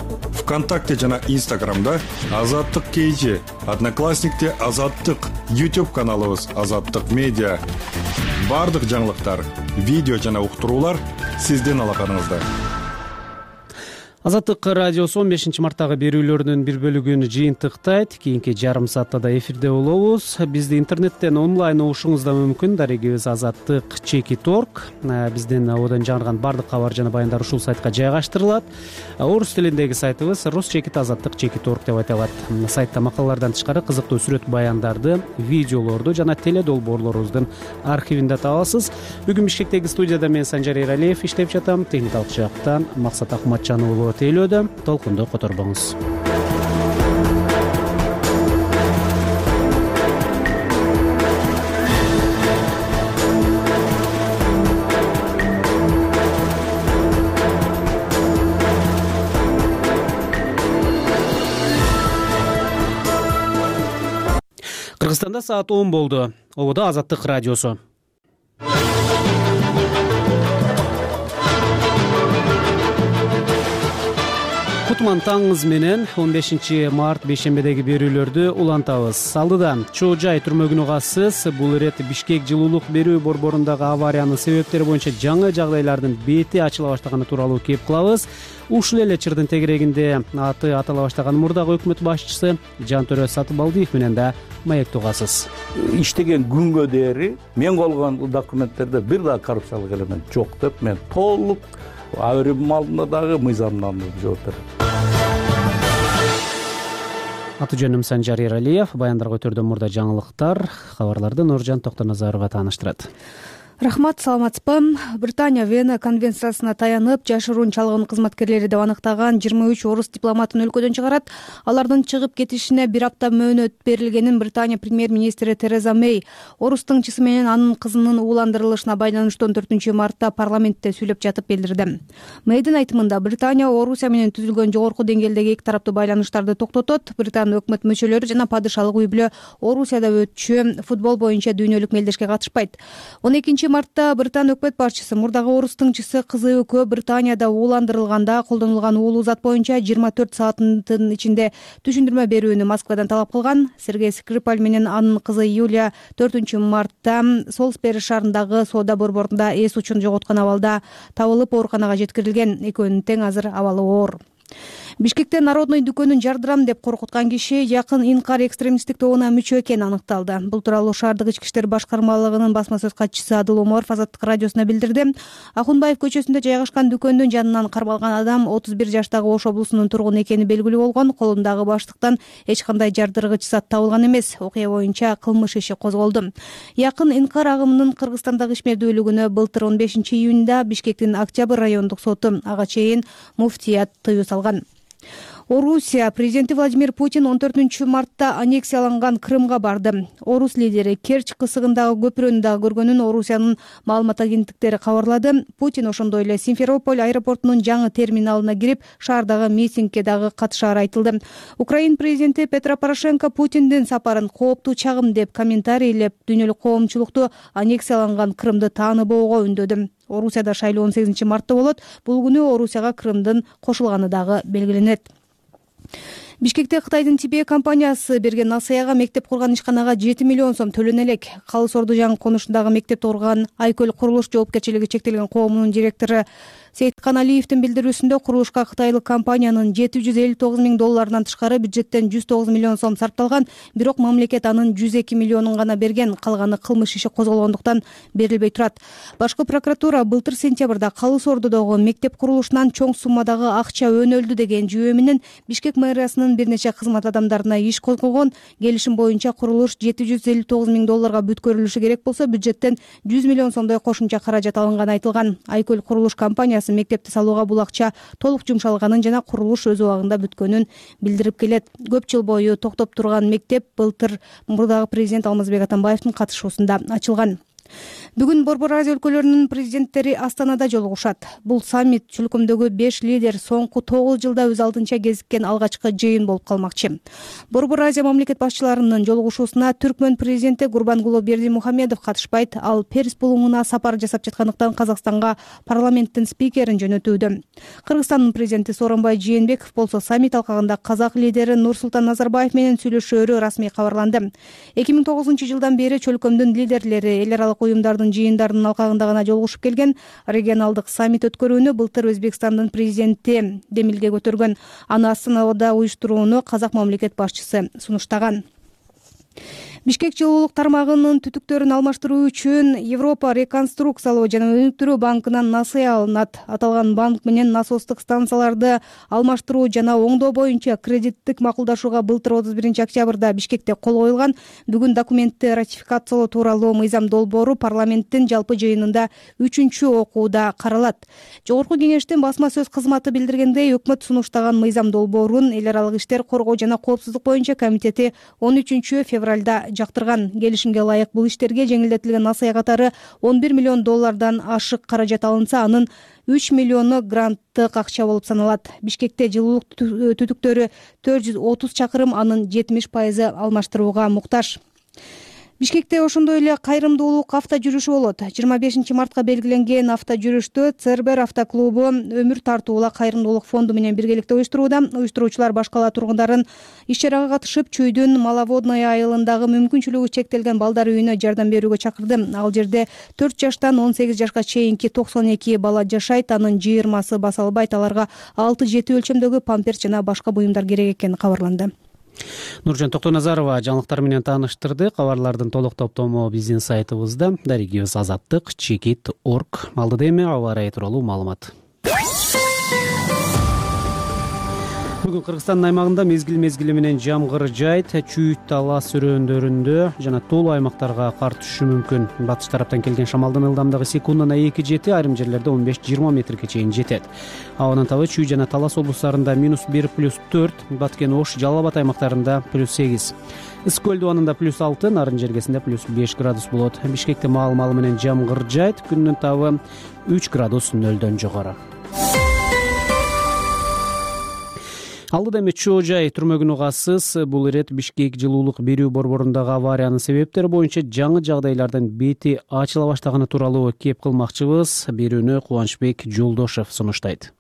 ВКонтакте жана Инстаграмда Азаттык кж, Одноклассникте Азаттык, YouTube каналыбыз Азаттык медиа. Бардык жаңылыктар, видео жана уктуруулар сиздин алаканыңызда. Азаттык радиосу он бешинчи марттагы берүүлөрүнүн бир бөлүгүн жыйынтыктайт. Кийинки жарым саатта да эфирде болобуз. Бизди интернеттен онлайн угушуңуз да мүмкүн. Дарегибиз азаттык чекит точка орг. Биздин одон жаңырган бардык кабар жана баяндар ушул сайтка жайгаштырылат. Орус тилиндеги сайтыбыз рус чекит азаттык чекит точка орг деп айтылат. Сайтта макалалардан тышкары кызыктуу сүрөт баяндарды, видеолорду жана теле долбоорлорубуздун архивин да табасыз. Бүгүн Бишкектеги студияда мен Санжар Эралиев иштеп жатам. Техникалык жактан Максат Акматжанов уулу тейлөөдө. Толкунду которбоңуз. Кыргызстанда саат он болду. Ободо Азаттык радиосу. Кутман таңыңыз менен он бешинчи март бейшембедеги берүүлөрдү улантабыз. Алдыда Чоо Жай түрмөгүнө уксыз бул ирет Бишкек жылуулук берүү борборундагы авариянын себептери боюнча жаңы жагдайлардын бети ачыла баштаганы тууралуу кеп кылабыз. Ушул эле чырдын тегерегинде аты атала баштаган мурдагы өкмөт башчысы Жантөрө Сатыбалдиев менен да маектеп угасыз. Иштеген күнгө дээри мен болгон документтерде бир да коррупциялык элемент жок деп мен толук абырым алдында дагы мыйзамдандырып жооп берем. Аты жөнүм Санжар Эралиев. Баяндарга өтөрдөн мурда жаңылыктар, кабарларды Нуржан Токтоназарова тааныштырат. Рахмат, саламатсызбы? Британия Вена конвенциясына таянып, жашыруун чалган кызматкерлери деп аныктаган жыйырма үч орус дипломатын өлкөдөн чыгарат. Алардын чыгып кетишине бир апта мөөнөт берилгенин Британия премьер-министри Тереза Мэй орус тыңчысы менен анын кызынын ууландырылышына байланыштуу он төртүнчү мартта парламентте сүйлөп жатып билдирди. Мэйдин айтымында Британия Орусия менен түзүлгөн жогорку деңгээлдеги эки тараптуу байланыштарды токтотот. Британ өкмөт мүчөлөрү жана падышалык үй бүлө Орусияда өтчү футбол боюнча дүйнөлүк мелдешке катышпайт. он экинчи мартта Британ өкмөт башчысы мурдагы орус тыңчысы кызы экөө Британияда ууландырылганда колдонулган уулуу зат боюнча жыйырма төрт сааттын ичинде түшүндүрмө берүүнү Москвадан талап кылган. Сергей Скрипаль менен анын кызы Юлия төртүнчү мартта Солсбери шаарындагы соода борборунда эс учун жоготкон абалда табылып ооруканага жеткирилген. Экөөнүн тең азыр абалы оор. Бишкекте Народный дүкөнүн жардырам деп коркуткан киши якын инкар экстремисттик тобуна мүчө экени аныкталды. Бул тууралуу шаардык ички иштер башкармалыгынын басма сөз катчысы Адыл Омаров Азаттык радиосуна билдирди. Акунбаев көчөсүндө жайгашкан дүкөндүн жанынан кармалган адам отуз бир жаштагы Ош облусунун тургуну экени белгилүү болгон. Колундагы баштыктан эч кандай жардыргыч зат табылган эмес. Окуя боюнча кылмыш иши козголду. Якын инкар агымынын Кыргызстандагы ишмердүүлүгүнө былтыр он бешинчи июнда Бишкектин Октябрь райондук соту ага чейин муфтият тыюу салган. Орусия президенти Владимир Путин он төртүнчү мартта аннексияланган Крымга барды. Орус лидери Керчь кысыгындагы көпүрөнү дагы көргөнүн Орусиянын маалымат агенттиктери кабарлады. Путин ошондой эле Симферополь аэропортунун жаңы терминалына кирип, шаардагы митингге дагы катышаары айтылды. Украин президенти Петро Порошенко Путиндин сапарын кооптуу чагым деп комментарийлеп, дүйнөлүк коомчулукту аннексияланган Крымды тааныбоого үндөдү. Орусияда шайлоо он сегизинчи мартта болот. Бул күнү Орусияга Крымдын кошулганы дагы белгиленет. Бишкекте Кытайдын Тибе компаниясы берген насаяга мектеп курган ишканага жети миллион сом төлөнө элек. Калыс Ордужан конушундагы мектепти курган Айкөл курулуш жоопкерчилиги чектелген коомунун директору Сейткан Алиевдин билдирүүсүндө курулушка кытайлык компаниянын жети жүз элүү тогуз миң долларынан тышкары бюджеттен жүз тогуз миллион сом сарпталган, бирок мамлекет анын жүз эки миллионун гана берген. Калганы кылмыш иши козголгондуктан берилбей турат. Башкы прокуратура былтыр сентябрда Калыс Ордодогу мектеп курулушунан чоң суммадагы акча өнөлдү деген жүйө менен Бишкек мэриясынын бир нече кызмат адамдарына иш козгогон. Келишим боюнча курулуш жети жүз элүү тогуз миң долларга бүткөрүлүшү керек болсо, бюджеттен жүз миллион сомдой кошумча каражат алынганы айтылган. Айкөл курулуш компаниясы мектепти салууга бул акча толук жумшалганын жана курулуш өз убагында бүткөнүн билдирип келет. Көп жыл бою токтоп турган мектеп былтыр мурдагы президент Алмазбек Атамбаевдин катышуусунда ачылган. Бүгүн Борбор Азия өлкөлөрүнүн президенттери Астанада жолугушат. Бул саммит чөлкөмдөгү беш лидер соңку тогуз жылда өз алдынча кезиккен алгачкы жыйын болуп калмакчы. Борбор Азия мамлекет башчыларынын жолугушуусуна Түркмөн президенти Гурбангулы Бердимухамедов катышпайт. Ал Перис булуңуна сапар жасап жаткандыктан Казакстанга парламенттин спикерин жөнөтүүдө. Кыргызстандын президенти Сооронбай Жээнбеков болсо саммит алкагында казак лидери Нурсултан Назарбаев менен сүйлөшөөрү расмий кабарланды. эки миң тогузунчу жылдан бери чөлкөмдүн лидерлери эл аралык уюмдардын жыйындарынын алкагында гана жолугушуп келген. Регионалдык саммит өткөрүүнү былтыр Өзбекстандын президенти демилге көтөргөн. Аны Астанада уюштурууну казак мамлекет башчысы сунуштаган. Бишкек жылуулук тармагынын түтүктөрүн алмаштыруу үчүн Европа реконструкциялоо жана өнүктүрүү банкынан насыя алынат. Аталган банк менен насостук станцияларды алмаштыруу жана оңдоо боюнча кредиттик макулдашууга былтыр отуз биринчи октябрда Бишкекте кол коюлган. Бүгүн документти ратификациялоо тууралуу мыйзам долбоору парламенттин жалпы жыйынында үчүнчү окууда каралат. Жогорку кеңештин басма сөз кызматы билдиргендей, өкмөт сунуштаган мыйзам долбоорун эл аралык иштер коргоо жана коопсуздук боюнча комитети он үчүнчү февралда жактырган. Келишимге ылайык бул иштерге жеңилдетилген насыя катары он бир миллион доллардан ашык каражат алынса, анын үч миллиону гранттык акча болуп саналат. Бишкекте жылуулук түтүктөрү төрт жүз отуз чакырым, анын жетимиш пайызы алмаштырууга муктаж. Бишкекте ошондой эле кайрымдуулук авто жүрүшү болот. жыйырма бешинчи мартка белгиленген авто жүрүштү Цербер автоклубу Өмүр тартуула кайрымдуулук фонду менен биргеликте уюштурууда. Уюштуруучулар баш кала тургундарын иш чарага катышып, Чүйдүн Маловодная айылындагы мүмкүнчүлүгү чектелген балдар үйүнө жардам берүүгө чакырды. Ал жерде төрт жаштан он сегиз жашка чейинки токсон эки бала жашайт. Анын жыйырмасы баса албайт. Аларга алты жети өлчөмдөгү памперс жана башка буюмдар керек экени кабарланды. Нуржан Токтоназарова жаңылыктар менен тааныштырды. Кабарлардын толук топтому биздин сайтыбызда, дарегибиз азаттык чекит точка орг. Алдыда эми аба ырайы тууралуу маалымат. Бүгүн Кыргызстандын аймагында мезгил-мезгили менен жамгыр жайт, Чүйт, Талас өрөөндөрүндө жана тоолуу аймактарга кар түшүшү мүмкүн. Батыш тараптан келген шамалдын ылдамдыгы секундуна эки жети, айрым жерлерде он беш жыйырма метрге чейин жетет. Абанын табы Чүй жана Талас облустарында минус бир плюс төрт, Баткен Ош, Жалал Абад аймактарында плюс сегиз. Ысык көл дубанында плюс алты, Нарын жергесинде плюс беш градус болот. Бишкекте маал-маалы менен жамгыр жайт, күндүн табы үч градус нөлдөн жогору. Алдыда эми Чоо жай түрмөгүн угасыз. Бул ирет Бишкек жылуулук берүү борборундагы авариянын себептери боюнча жаңы жагдайлардын бети ачыла баштаганы тууралуу кеп кылмакчыбыз. Берүүнү Кубанычбек Жолдошев сунуштайт.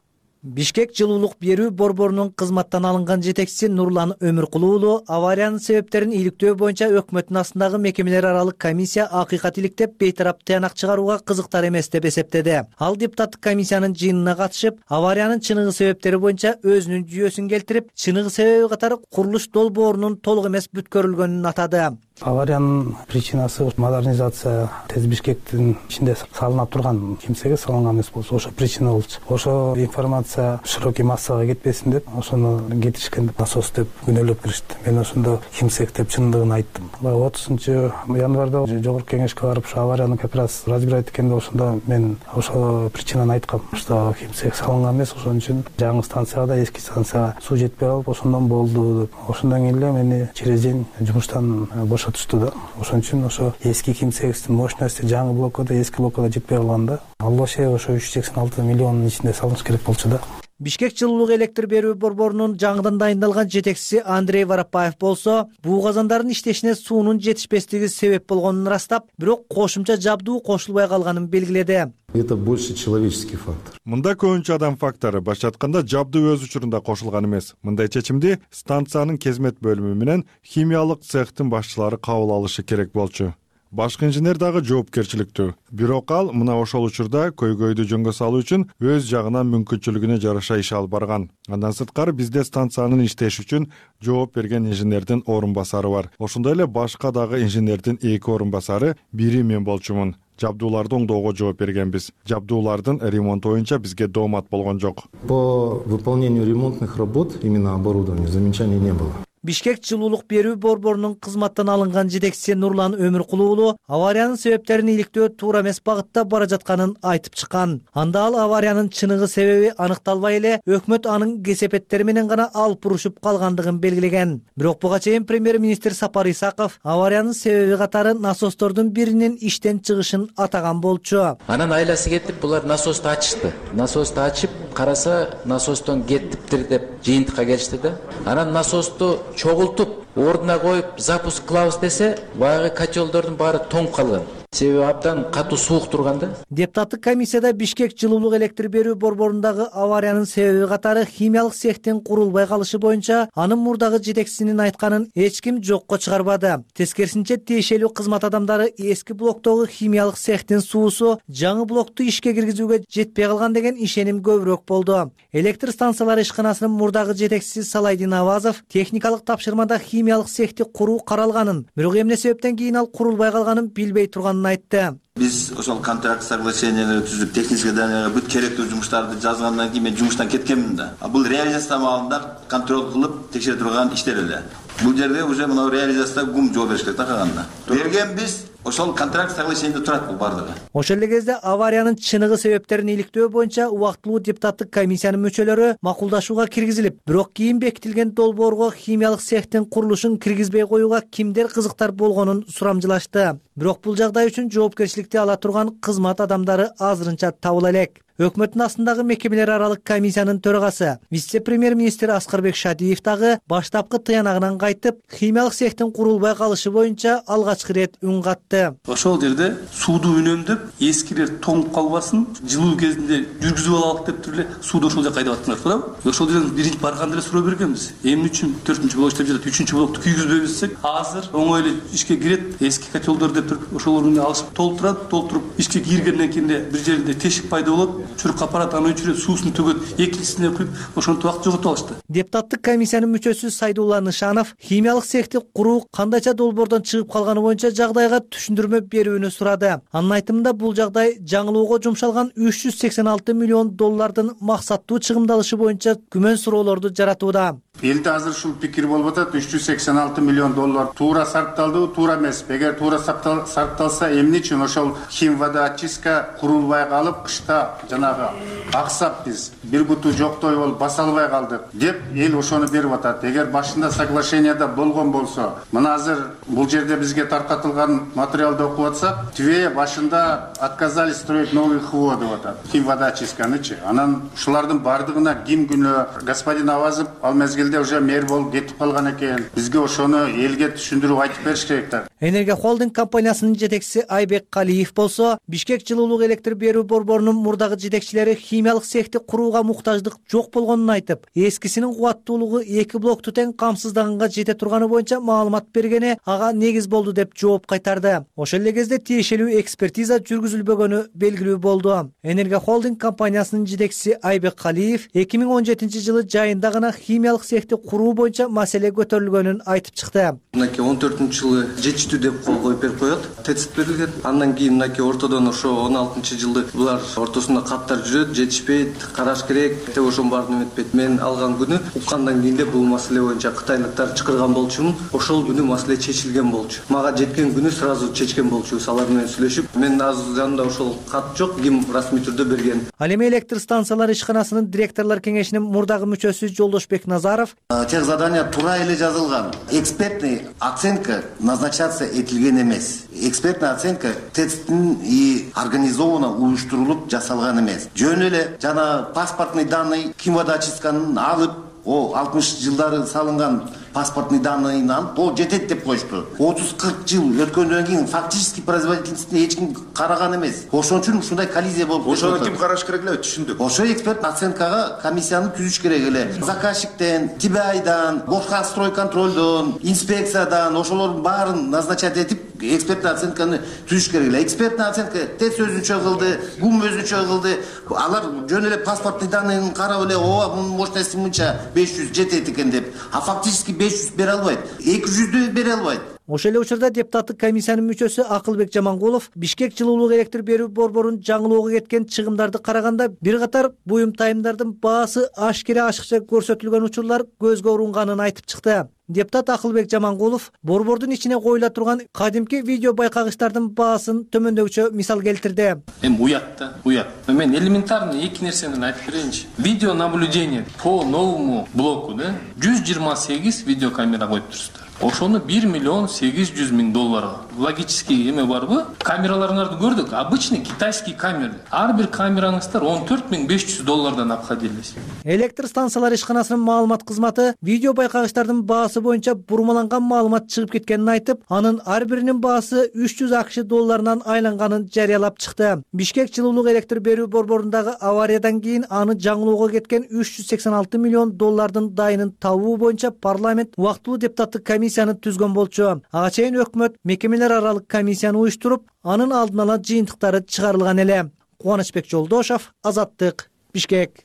Бишкек жылуулук берүү борборунун кызматтан алынган жетекчиси Нурлан Өмүркулуу уулу авариянын себептерин иликтөө боюнча өкмөттүн астындагы мекемелер аралык комиссия акыйкат иликтеп, бейтарап тыянак чыгарууга кызыктар эмес деп эсептеди. Ал депутаттык комиссиянын жыйынына катышып, авариянын чыныгы себептери боюнча өзүнүн жүйөсүн келтирип, чыныгы себеби катары курулуш долбоорунун толук эмес бүткөрүлгөнүн атады. Авариянын причинасы модернизация Тез Бишкектин ичинде салынып турган кимсеге салынган эмес болчу. Ошо причина болчу. Ошо информация широкий массага кетпесин деп, ошону кетишкен насос деп күнөөлөп киришти. Мен ошондо кимсек деп чындыгын айттым. отузунчу январда жогорку кеңешке барып, ошо аварияны как раз разбирать эткенде ошондо мен ошо причинаны айткам, что кимсек салынган эмес, ошон үчүн жаңы станцияга да эски станцияга суу жетпей калып, ошондон болду деп. Ошондон кийин эле мени через день жумуштан бошотушту да. Ошон үчүн ошо эски кимсегибиздин мощности жаңы блокада, эски блокада жетпей калганда, ал вообще ошо үч жүз сексен алты миллиондун ичинде салыныш керек болчу да. Бишкек жылуулук электр берүү борборунун жаңыдан дайындалган жетекчиси Андрей Воропаев болсо, буу казандардын иштешине суунун жетишпестиги себеп болгонун ырастап, бирок кошумча жабдуу кошулбай калганын белгиледи. Это больше человеческий фактор. Мында көбүнчө адам фактору, башкы айтканда жабдуу өз учурунда кошулган эмес. Мындай чечимди станциянын кезмет бөлүмү менен химиялык цехтин башчылары кабыл алышы керек болчу. Башкы инженер дагы жоопкерчиликтүү. Бирок ал мына ошол учурда көйгөйдү жөнгө салуу үчүн өз жагынан мүмкүнчүлүгүнө жараша иш алып барган. Андан сырткары бизде станциянын иштеши үчүн жооп берген инженердин орун басары бар. Ошондой эле башка дагы инженердин эки орун басары, бири мен болчумун. Жабдууларды оңдоого жооп бергенбиз. Жабдуулардын ремонту боюнча бизге доомат болгон жок. По выполнению ремонтных работ, именно оборудования, замечаний не было. Бишкек жылуулук берүү борборунун кызматтан алынган жетекчиси Нурлан Өмүркулуу уулу авариянын себептерин иликтөө туура эмес багытта бара жатканын айтып чыккан. Анда ал авариянын чыныгы себеби аныкталбай эле өкмөт анын кесепеттери менен гана алып урушуп калгандыгын белгилеген. Бирок буга чейин премьер-министр Сапар Исаков авариянын себеби катары насостордун биринин иштен чыгышын атаган болчу. Анан айласы кетип булар насосту ачышты. Насосту ачып караса насостон кеттиптир деп жыйынтыкка келишти да. Анан насосту чогултуп ордуна коюп запуск кылабыз десе, баягы котелдордун баары тоңуп калган. Себеби абдан катуу суук турган да. Депутаттык комиссияда Бишкек жылуулук электр берүү борборундагы авариянын себеби катары химиялык цехтин курулбай калышы боюнча анын мурдагы жетекчисинин айтканын эч ким жокко чыгарбады. Тескерисинче тиешелүү кызмат адамдары эски блоктогу химиялык цехтин суусу жаңы блокту ишке киргизүүгө жетпей калган деген ишеним көбүрөөк болду. Электр станциялары ишканасынын мурдагы жетекчиси Салайдин Авазов техникалык тапшырмада химиялык цехти куруу каралганын, бирок эмне себептен кийин ал курулбай калганын билбей турганын айтты. Биз ошол контракт соглашенияларды түзүп, технический заданияга бүт керектүү жумуштарды жазгандан кийин мен жумуштан кеткенмин да. Бул реализация маалында контроль кылып текшере турган иштер эле. Бул жерде уже мына реализацияда гум жооп бериш керек да калганда. Берген биз ошол контракт соглашениеде турат бул бардыгы. Ошол эле кезде авариянын чыныгы себептерин иликтөө боюнча убактылуу депутаттык комиссиянын мүчөлөрү макулдашууга киргизилип, бирок кийин бекитилген долбоорго химиялык цехтин курулушун киргизбей коюуга кимдер кызыктар болгонун сурамжылашты. Бирок бул жагдай үчүн жоопкерчиликти ала турган кызмат адамдары азырынча табыла элек. Өкмөттүн астындагы мекемелер аралык комиссиянын төрагасы, вице-премьер-министр Аскарбек Шадиев дагы баштапкы тыянагынан кайтып, химиялык цехтин курулбай калышы боюнча алгачкы ирет үн катты. Ошол жерде сууду үнөмдөп, эскилер тоңуп калбасын, жылуу кезинде жүргүзүп алалык деп туруп эле сууду ошол жака айдап аттыңар, туурабы? Ошол жерден биринчи барганда эле суроо бергенбиз. Эмне үчүн төртүнчү блок иштеп жатат, үчүнчү блокту күйгүзбөйбүз десек, азыр оңой эле ишке кирет, эски котелдор деп туруп ошолорду алышып толтурат, толтуруп ишке киргенден кийин бир жерде тешик пайда болот. Чурк аппарат аны өчүрөт, суусун төгөт, экинчисине куюп, ошонтип убакыт жоготуп алышты. Депутаттык комиссиянын мүчөсү Сайдулла Нышанов химиялык цехти куруу кандайча долбоордон чыгып калганы боюнча жагдайга түшүндүрмө берүүнү сурады. Анын айтымында бул жагдай жаңылоого жумшалган үч жүз сексен алты миллион доллардын максаттуу чыгымдалышы боюнча күмөн суроолорду жаратууда. Элде азыр ушул пикир болуп атат, үч жүз сексен алты миллион доллар туура сарпталдыбы, туура эмеспи? Эгер туура сарпталса, эмне үчүн ошол химводоочистка курулбай калып, кышта жанагы аксап биз бир буту жоктой болуп баса албай калдык деп эл ошону берип атат. Эгер башында соглашенияда болгон болсо, мына азыр бул жерде бизге таркатылган материалды окуп атсак, Твея башында отказались строить новый ХВО деп атат. Химводоочистканычы. Анан ушулардын бардыгына ким күнөө? Господин Авазов ал мезгилде уже мэр болуп кетип калган экен. Бизге ошону элге түшүндүрүп айтып бериш керек да. Энергия холдинг компаниясынын жетекчиси Айбек Калиев болсо, Бишкек жылуулук электр берүү борборунун мурдагы жетекчилери химиялык цехти курууга муктаждык жок болгонун айтып, эскисинин кубаттуулугу эки блокту тең камсыздаганга жете турганы боюнча маалымат бергени ага негиз болду деп жооп кайтарды. Ошол эле кезде тиешелүү экспертиза жүргүзүлбөгөнү белгилүү болду. Энергия холдинг компаниясынын жетекчиси Айбек Калиев эки миң он жетинчи жылы жайында гана химиялык цехти куруу боюнча маселе көтөрүлгөнүн айтып чыкты. Мынакей он төртүнчү жылы жетиштүү деп кол коюп берип коет, тецит берилген. Андан кийин мынакей ортодон ошо он алтынчы жылды булар ортосунда каттар жүрөт, жетишпейт, караш керек деп ошонун баарын эметпейт. Мен алган күнү уккандан кийин бул маселе боюнча кытайлыктар чакырган болчумун. Ошол күнү маселе чечилген болчу. Мага жеткен күнү сразу чечкен болчубуз алар менен сүйлөшүп. Мен азыр жанымда ошол кат жок, ким расмий түрдө берген. Ал эми электр станциялары ишканасынын директорлор кеңешинин мурдагы мүчөсү Жолдошбек Назаров тех задания туура эле жазылган. Экспертный оценка назначаться этилген эмес. Экспертная оценка тецтин и организованно уюштурулуп жасалган эмес. Жөн эле жана паспортный данный химводоочистканын алып, о алтымыш жылдары салынган паспортный данныйын алып, о жетет деп коюшту. отуз кырк жыл өткөндөн кийин фактически производительностуна эч ким караган эмес. Ошон үчүн ушундай коллизия болуп кетти. Ошону ким караш керек эле, түшүндүк. Ошо эксперт оценкага комиссияны түзүш керек эле. Заказчиктен, ТИБАЙдан, башка стройконтролдон, инспекциядан ошолордун баарын назначать этип экспертный оценканы түзүш керек эле. Экспертный оценка ТЭЦ өзүнчө кылды, ГУМ өзүнчө кылды. Алар жөн эле паспортный данныйын карап эле, ооба мунун мощности мынча беш жүз жетет экен деп. А фактически беш жүз бере албайт. эки жүздү бере албайт. Ошол эле учурда депутаттык комиссиянын мүчөсү Акылбек Жамангулов Бишкек жылуулук электр берүү борборунун жаңылоого кеткен чыгымдарды караганда бир катар буюм тайымдардын баасы ашкере ашыкча көрсөтүлгөн учурлар көзгө урунганын айтып чыкты. Депутат Акылбек Жамангулов борбордун ичине коюла турган кадимки видео байкагычтардын баасын төмөндөгүчө мисал келтирди. Эми уят да, уят. Мен элементарный эки нерсени айтып берейинчи. Видео наблюдение по новому блоку, да, жүз жыйырма сегиз видеокамера коюп турсуздар. Ошону бир миллион сегиз жүз миң долларга. Логический эме барбы? Камераларыңарды көрдүк. Обычный китайский камера. Ар бир камераңыздар он төрт миң беш жүз доллардан апкадилес. Электр станциялар ишканасынын маалымат кызматы видео байкагычтардын баасы боюнча бурмаланган маалымат чыгып кеткенин айтып, анын ар биринин баасы үч жүз акш долларынан айланганын жарыялап чыкты. Бишкек жылуулук электр берүү борборундагы авариядан кийин аны жаңылоого кеткен үч жүз сексен алты миллион доллардын дайынын табуу боюнча парламент убактылуу депутаттык комиссияны түзгөн болчу. Ага чейин өкмөт мекемелер аралык комиссияны уюштуруп, анын алдын ала жыйынтыктары чыгарылган эле. Кубанычбек Жолдошов, Азаттык, Бишкек.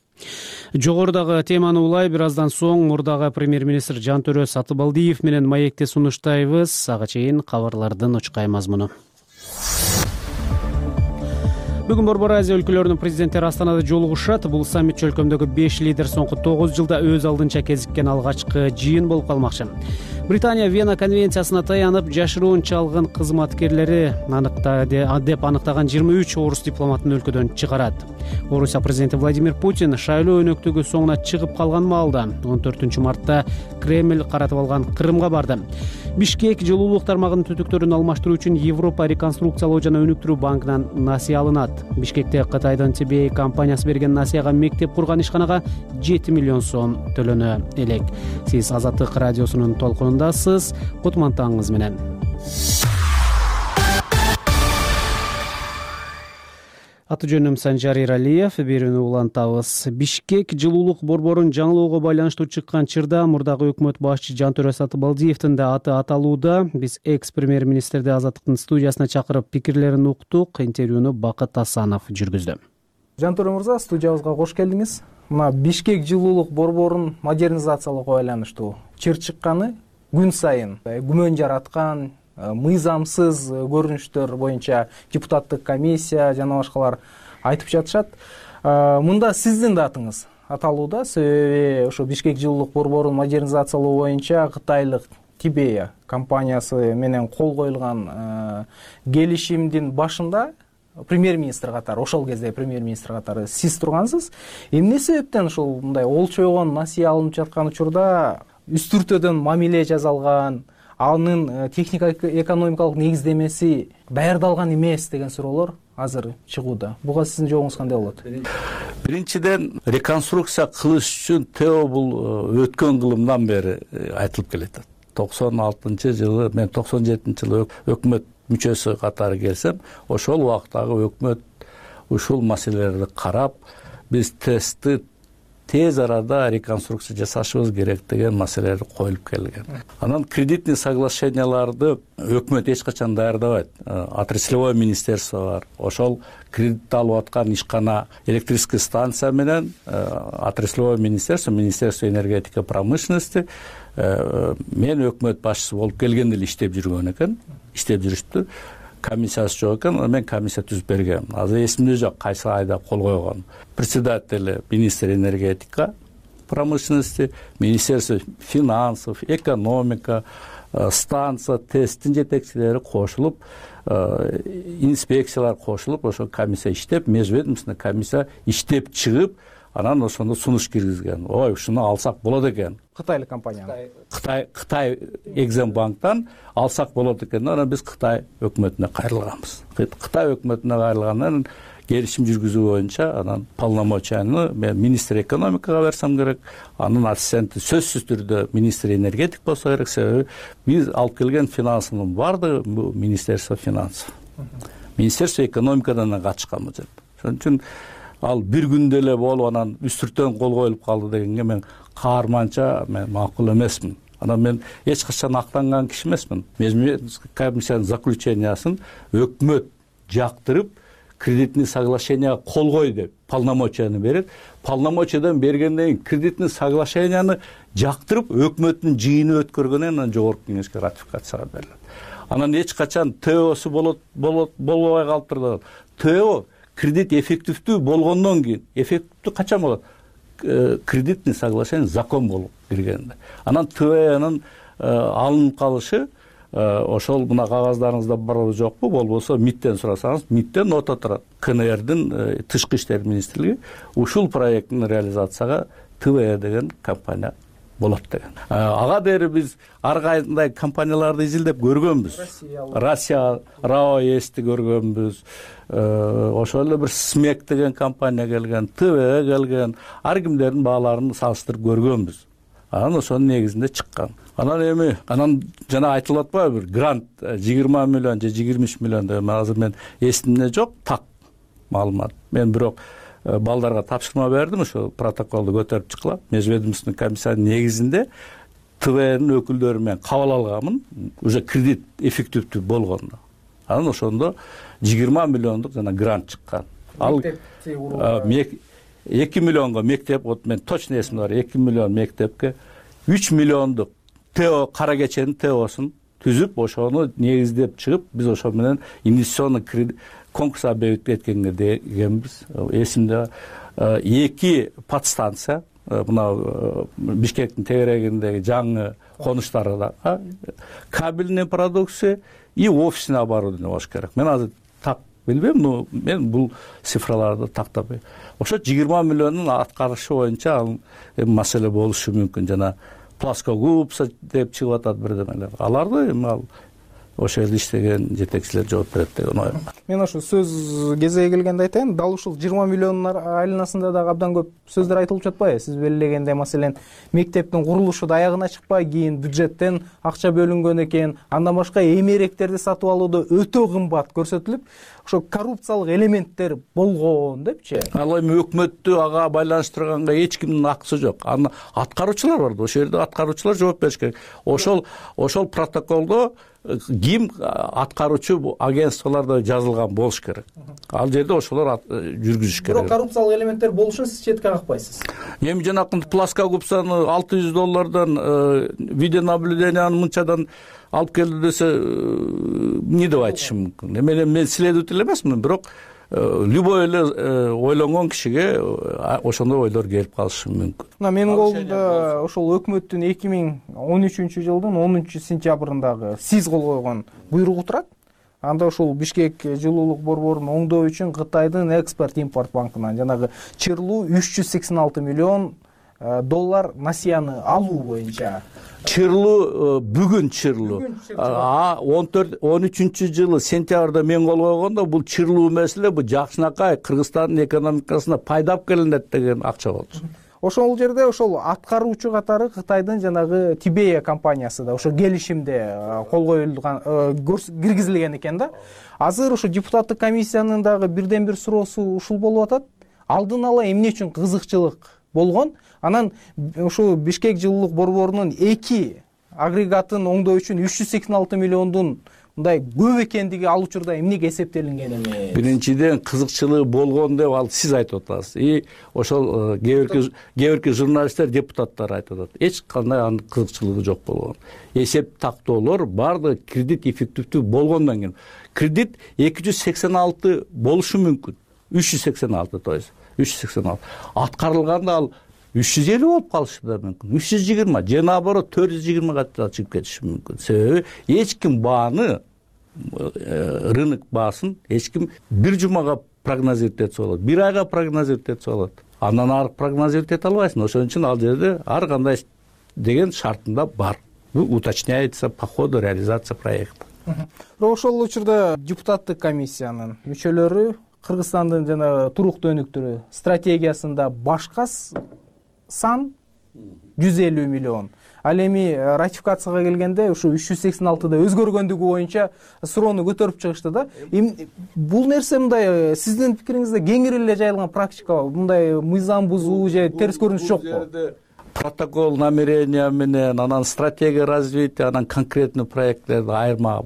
Жогорудагы теманы улай бир аздан соң мурдагы премьер-министр Жантөрө Сатыбалдиев менен маекте сунуштайбыз. Ага чейин кабарлардын учкай мазмуну. Бүгүн Борбор Азия өлкөлөрүнүн президенттери Астанада жолугушат. Бул саммит чөлкөмдөгү беш лидер соңку тогуз жылда өз алдынча кезиккен алгачкы жыйын болуп калмакчы. Британия Вена конвенциясына таянып, жашыруун чалгын кызматкерлери аныкта деп аныктаган жыйырма үч орус дипломатын өлкөдөн чыгарат. Орусия президенти Владимир Путин шайлоо өнөктүгү соңуна чыгып калган маалда он төртүнчү мартта Кремль каратып алган Крымга барды. Бишкек жылуулук тармагынын түтүктөрүн алмаштыруу үчүн Европа реконструкциялоо жана өнүктүрүү банкынан насыя алынат. Бишкекте Кытайдын Ти Би Эй компаниясы берген насыяга мектеп курган ишканага жети миллион сом төлөнө элек. Сиз Азаттык радиосунун толкунундасыз. Кутмантаңыз менен. Аты жөнүм Санжар Иралиев, берүүнү улантабыз. Бишкек жылуулук борборун жаңылоого байланыштуу чыккан чырда мурдагы өкмөт башчы Жантөрө Сатыбалдиевдин да аты аталууда. Биз экс премьер-министрди Азаттыктын студиясына чакырып пикирлерин уктук. Интервьюну Бакыт Асанов жүргүздү. Жантөрө мырза, студиябызга кош келдиңиз. Мына Бишкек жылуулук борборун модернизациялоого байланыштуу чыр чыкканы күн сайын күмөн жараткан мыйзамсыз көрүнүштөр боюнча депутаттык комиссия жана башкалар айтып жатышат. Мында сиздин да атыңыз аталууда, себеби ошо Бишкек жылуулук борборун модернизациялоо боюнча кытайлык Ти Би Эй компаниясы менен кол коюлган келишимдин башында премьер-министр катары, ошол кезде премьер-министр катары сиз тургансыз. Эмне себептен ушул мындай олчойгон насыя алынып жаткан учурда үстүртөдөн мамиле жасалган, анын техника экономикалык негиздемеси даярдалган эмес деген суроолор азыр чыгууда. Буга сиздин жообуңуз кандай болот? Биринчиден, реконструкция кылыш үчүн ТЭО бул өткөн кылымдан бери айтылып келет. токсон алтынчы жылы, мен токсон жетинчи жылы өкмөт мүчөсү катары келсем, ошол убактагы өкмөт ушул маселелерди карап, биз тестти тез арада реконструкция жасашыбыз керек деген маселелер коюлуп келген. Анан кредитный соглашенияларды өкмөт эч качан даярдабайт. Отраслевой министерство бар. Ошол кредит алып аткан ишкана электрический станция менен отраслевой министерство, министерство энергетика промышленности мен өкмөт башчысы болуп келгенде эле иштеп жүргөн экен, иштеп жүрүштү. Комиссиясы жок экен, мен комиссия түзүп бергем. Азыр эсимде жок кайсы айда кол койгон. Председатель министр энергетика промышленности, министерство финансов, экономика, станция, тесттин жетекчилери кошулуп, инспекциялар кошулуп, ошо комиссия иштеп, межведомственный комиссия иштеп чыгып, анан ошондо сунуш киргизген. Ой, ушуну алсак болот экен. Кытайлык компания. Кытай Кытай Экзембанктан алсак болот экен. Анан биз Кытай өкмөтүнө кайрылганбыз. Кытай өкмөтүнө кайрылгандан келишим жүргүзүү боюнча анан полномочияны мен министр экономикага берсем керек, анын ассистенти сөзсүз түрдө министр энергетик болсо керек, себеби биз алып келген финансынын баардыгы бул министерство финансов. Министерство экономикадан качканбыз. Ошон үчүн ал бир күндө эле болуп анан үстүртөн кол коюлуп калды дегенге мен каарманча мен макул эмесмин. Анан мен эч качан актанган киши эмесмин. Межмедомственный комиссиянын заключениясын өкмөт жактырып, кредитный соглашенияга кол кой деп полномочияны берет. Полномочиядан бергенден кийин кредитный соглашенияны жактырып, өкмөттүн жыйыны өткөргөндөн анан жогорку кеңешке ратификацияга берилет. анан эч качан тэосу болот болот болбой калыптыр. тэо кредит эффективдүү болгондон кийин, эффективдүү качан болот? Кредитный соглашение закон болуп киргенде. Анан тэонун алынып калышы ошол мына кагаздарыңызда барбы жокпу, болбосо мидтен сурасаңыз, мидтен нота турат. КНРдин тышкы иштер министрлиги ушул проекттин реализацияга тэ деген компания болот деген. Ага бери биз ар кандай компанияларды изилдеп көргөнбүз. Россия, РАО эсти көргөнбүз. Ошол эле бир СМЕК деген компания келген, тэ келген, ар кимдердин бааларын салыштырып көргөнбүз. Анан ошонун негизинде чыккан. Анан эми анан жана айтылып атпайбы бир грант жыйырма миллион же жыйырма үч миллион деп азыр мен эсимде жок, так маалымат. Мен бирок балдарга тапшырма бердим, ошо протоколду көтөрүп чыккыла. Межведомственный комиссиянын негизинде тэвнин өкүлдөрү менен кабыл алганмын, уже кредит эффективдүү болгондо. Анан ошондо жыйырма миллиондук жана грант чыккан. Ал эки миллионго мектеп, вот мен точно эсимде бар, эки миллион мектепке үч миллиондук тэо кара кеченин тэосун түзүп, ошону негиздеп чыгып, биз ошо менен инвестиционный кредит конкурс объявить эткенге дегенбиз. Эсимде эки подстанция, мына Бишкектин тегерегиндеги жаңы конуштарда кабельный продукция и офисный оборудование болуш керек. Мен азыр так билбейм, но мен бул цифраларды тактап. Ошо жыйырма миллиондун аткарышы боюнча ал маселе болушу мүмкүн. Жана плоскогуб деп чыгып атат бирдемелер. Аларды эми ал ошол жерде иштеген жетекчилер жооп берет деген оюм бар. Мен ошо сөз кезеги келгенде айтайын, дал ушул жыйырма миллиондун айланасында дагы абдан көп сөздөр айтылып жатпайбы? Сиз белгилегендей, маселен, мектептин курулушу да аягына чыкпай, кийин бюджеттен акча бөлүнгөн экен, андан башка эмеректерди сатып алууда өтө кымбат көрсөтүлүп, ошо коррупциялык элементтер болгон депчи. Ал эми өкмөттү ага байланыштырганга эч кимдин акысы жок. Аны аткаруучулар бар да, ошол жерде аткаруучулар жооп бериш керек. Ошол ошол протоколдо ким аткаруучу агентстволордо жазылган болуш керек. Ал жерде ошолор жүргүзүш керек. Бирок коррупциялык элементтер болушун сиз четке какпайсыз. Эми жанакынтип плоскогубсан алты жүз доллардан видеонаблюдениянын мынчадан алып келди десе, эмне деп айтышым мүмкүн. Мен мен следователь эмесмин, бирок любой эле ойлонгон кишиге ошондой ойлор келип калышы мүмкүн. Мына менин колумда ошол өкмөттүн эки миң он үчүнчү жылдын онунчу сентябрындагы сиз кол койгон буйругу турат. Анда ушул Бишкек жылуулук борборун оңдоо үчүн Кытайдын экспорт-импорт банкынан жанагы чырлуу үч жүз сексен алты миллион доллар насыяны алуу боюнча. Чырлуу бүгүн чырлуу. А он төрт он үчүнчү жылы сентябрда мен кол койгондо бул чырлуу маселе бул жакшынакай Кыргызстандын экономикасына пайда алып келинет деген акча болчу. Ошол жерде ошол аткаруучу катары Кытайдын жанагы Тибея компаниясы да ошо келишимде кол коюлган, киргизилген экен да. Азыр ошо депутаттык комиссиянын дагы бирден бир суроосу ушул болуп атат. Алдын ала эмне үчүн кызыкчылык болгон? Анан ошо Бишкек жылуулук борборунун эки агрегатын оңдоо үчүн үч жүз сексен алты миллиондун мындай көп экендиги ал учурда эмнеге эсептелинген эмес? Биринчиден кызыкчылыгы болгон деп ал сиз айтып атасыз. И ошол кээ бирки журналисттер, депутаттар айтып атат. Эч кандай анын кызыкчылыгы жок болгон. Эсеп тактоолор баардыгы кредит эффективдүү болгондон кийин. Кредит эки жүз сексен алты болушу мүмкүн. үч жүз сексен алты, то есть үч жүз сексен алты. Аткарылганда ал үч жүз элүү болуп калышы да мүмкүн. үч жүз жыйырма же наоборот төрт жүз жыйырмага чыгып кетиши мүмкүн. Себеби эч ким бааны, рынок баасын эч ким бир жумага прогнозировать этсе болот, бир айга прогнозировать этсе болот. Андан ары прогнозировать эте албайсың. Ошон үчүн ал жерде ар кандай деген шартында бар. Бул уточняется по ходу реализации проекта. Ошол учурда депутаттык комиссиянын мүчөлөрү Кыргызстандын жана туруктуу өнүктүрүү стратегиясында башка сан жүз элүү миллион. Ал эми ратификацияга келгенде ушу үч жүз сексен алтыда өзгөргөндүгү боюнча суроону көтөрүп чыгышты да. Бул нерсе мындай сиздин пикириңизде кеңири эле жайылган практика, мындай мыйзам бузуу же терс көрүнүш жокпу? Протокол намерения менен, анан стратегия развития, анан конкретный проектлерди айырма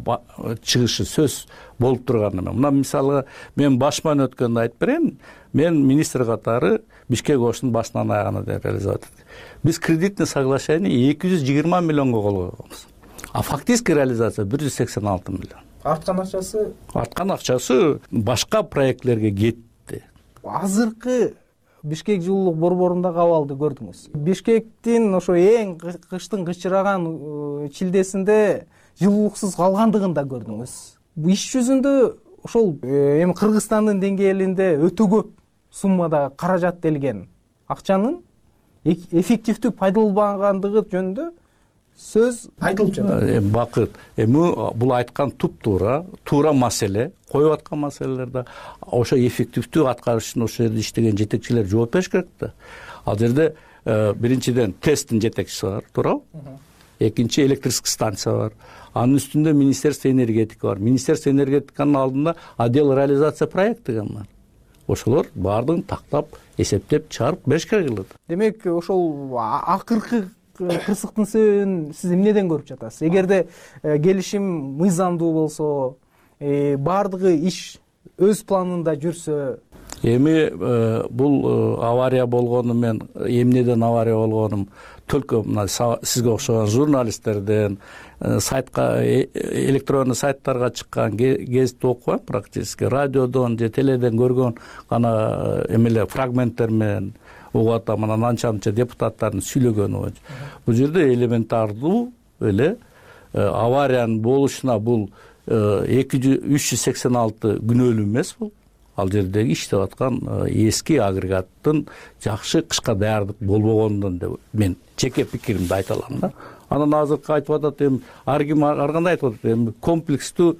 чыгышы сөз болуп турган эме. Мына мисалы мен башман өткөндө айтып берейин. Мен министр катары Бишкек ошунун башынан аягына реализовать эттик. Биз кредитный соглашение эки жүз жыйырма миллионго кол койгонбуз. а фактический реализация бир жүз сексен алты миллион. Арткан акчасы арткан акчасы башка проектлерге кетти. Азыркы Бишкек жылуулук борборундагы абалды көрдүңүз. Бишкектин ошо эң кыштын кычыраган чилдесинде жылуулуксуз калгандыгын да көрдүңүз. Иш жүзүндө ошол эми Кыргызстандын деңгээлинде өтө көп суммада каражат делген акчанын эффективдүү пайдаланбагандыгы жөнүндө сөз айтылып жатат. Бакыт, эми бул айткан туп-туура, туура маселе, коюп аткан маселелер да ошо эффективдүү аткарыш үчүн ошол жерде иштеген жетекчилер жооп бериш керек да. Ал жерде биринчиден тесттин жетекчиси бар, туурабы? Экинчи электрический станция бар. Анын үстүндө Министерство энергетика бар. Министерство энергетиканын алдында отдел реализация проект деген бар. Ошолор баардыгын тактап, эсептеп чыгарып бериш керек. Демек, ошол акыркы кырсыктын себебин сиз эмнеден көрүп жатасыз? Эгерде келишим мыйзамдуу болсо, баардыгы иш өз планында жүрсө, эми бул авария болгону, мен эмнеден авария болгонум только мына сизге окшогон журналисттерден, сайтка, электронный сайттарга чыккан гезитти окубайм, практически радиодон же теледен көргөн гана эмеле фрагменттер менен угуп атам, анан анча-мынча депутаттардын сүйлөгөнү боюнча. Бул жерде элементардуу эле авариянын болушуна бул үч жүз сексен алты күнөөлүү эмес бул. Ал жердеги иштеп аткан эски агрегаттын жакшы кышка даярдык болбогондон деп мен жеке пикиримди айта алам да. Анан азыркы айтып атат, эми ар ким ар кандай айтып атат, эми комплекстүү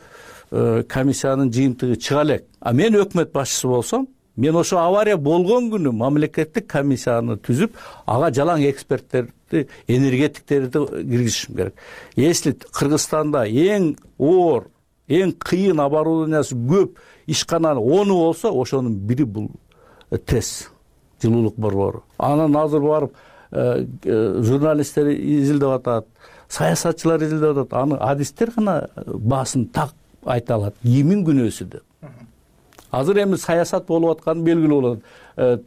комиссиянын жыйынтыгы чыга элек. А мен өкмөт башчысы болсом, мен ошо авария болгон күнү мамлекеттик комиссияны түзүп, ага жалаң эксперттерди, энергетиктерди киргизишим керек. Если Кыргызстанда эң оор, эң кыйын оборудованиясы көп ишкананын оны болсо, ошонун бири бул ТЭС, жылуулук борбору. Анан азыр барып журналисттер изилдеп атат, саясатчылар изилдеп атат, аны адистер гана баасын так айта алат, кимдин күнөөсү деп. Азыр эми саясат болуп атканы белгилүү болот.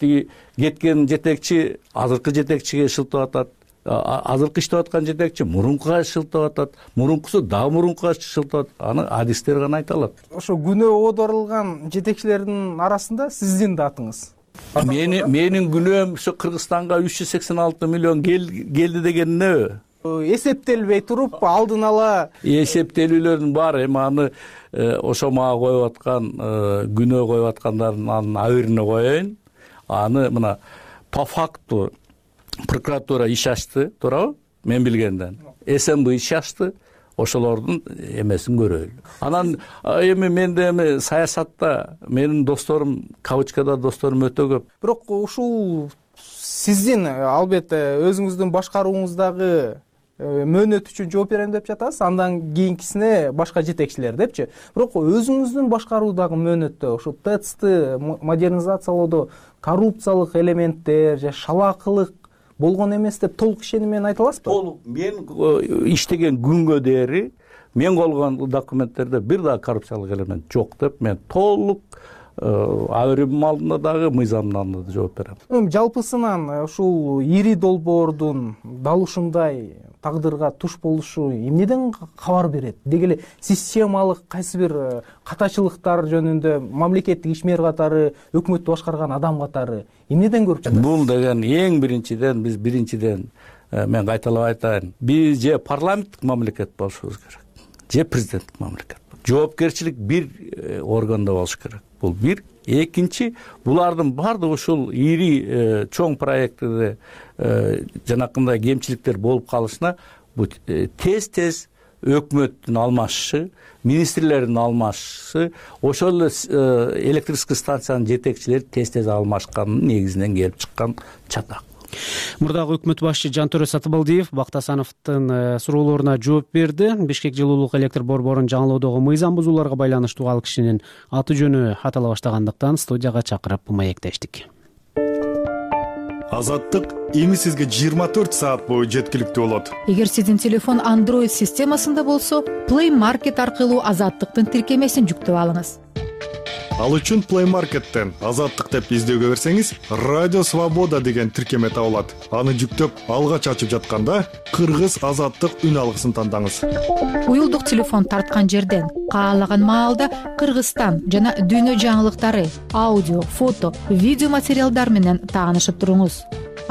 Тиги кеткен жетекчи азыркы жетекчиге шылтап атат, азыркы иштеп аткан жетекчи мурункуга шылтап атат, мурункусу дагы мурункуга шылтап атат. Аны адистер гана айта алат. Ошо күнөө оодорулган жетекчилердин арасында сиздин да атыңыз. Мени менин күнөөм ошо Кыргызстанга үч жүз сексен алты миллион келди деген эмне? Эсептелбей туруп, алдын ала эсептелүүлөрдүн баары эми аны ошо мага коюп аткан, күнөө коюп аткандардын абирине коеюн. Аны мына по факту прокуратура иш ачты, туурабы? Мен билгенден. СМБ иш ачты. Ошолордун эмесин көрөлү. Анан эми менде эми саясатта менин досторум, кавычкада досторум өтө көп. Бирок ушул сиздин албетте өзүңүздүн башкарууңуздагы мөөнөт үчүн жооп берем деп жатасыз, андан кийинкисине башка жетекчилер депчи. Бирок өзүңүздүн башкаруудагы мөөнөттө ошо ТЭЦти модернизациялоодо коррупциялык элементтер же шалаакылык болгон эмес деп толук ишеним менен айта аласызбы? Толук. Мен иштеген күнгө дээри мен колгон документтерде бир да коррупциялык элемент жок деп мен толук абырым алдында дагы мыйзамдын алдында да жооп берем. Эми жалпысынан ушул ири долбоордун дал ушундай тагдырга туш болушу эмнеден кабар берет? Деги эле системалык кайсы бир катачылыктар жөнүндө мамлекеттик ишмер катары, өкмөттү башкарган адам катары эмнеден көрүп жатасыз? Бул деген эң биринчиден биз биринчиден мен кайталап айтайын, биз же парламенттик мамлекет болушубуз керек, же президенттик мамлекет. Жоопкерчилик бир органда болуш керек. Бул бир. Экинчи, булардын баардыгы ушул ири чоң проекттерде жанакындай кемчиликтер болуп калышына бул тез-тез өкмөттүн алмашышы, министрлердин алмашышы, ошол эле электрический станциянын жетекчилери тез-тез алмашкандын негизинен келип чыккан чатак. Мурдагы өкмөт башчы Жантөрө Сатыбалдиев Бактасановдун суроолоруна жооп берди. Бишкек жылуулук электр борборун жаңылоодогу мыйзам бузууларга байланыштуу ал кишинин аты жөнү атала баштагандыктан студияга чакырып маектештик. Азаттык эми сизге жыйырма төрт саат бою жеткиликтүү болот. Эгер сиздин телефон Android системасында болсо, Play Market аркылуу Азаттыктын тиркемесин жүктөп алыңыз. Ал үчүн Play Market'тен Азаттык деп издөөгө берсеңиз, Радио Свобода деген тиркеме табылат. Аны жүктөп, алгач ачып жатканда Кыргыз Азаттык үн алгысын тандаңыз. Уюлдук телефон тарткан жерден каалаган маалда Кыргызстан жана дүйнө жаңылыктары, аудио, фото, видео материалдар менен таанышып туруңуз.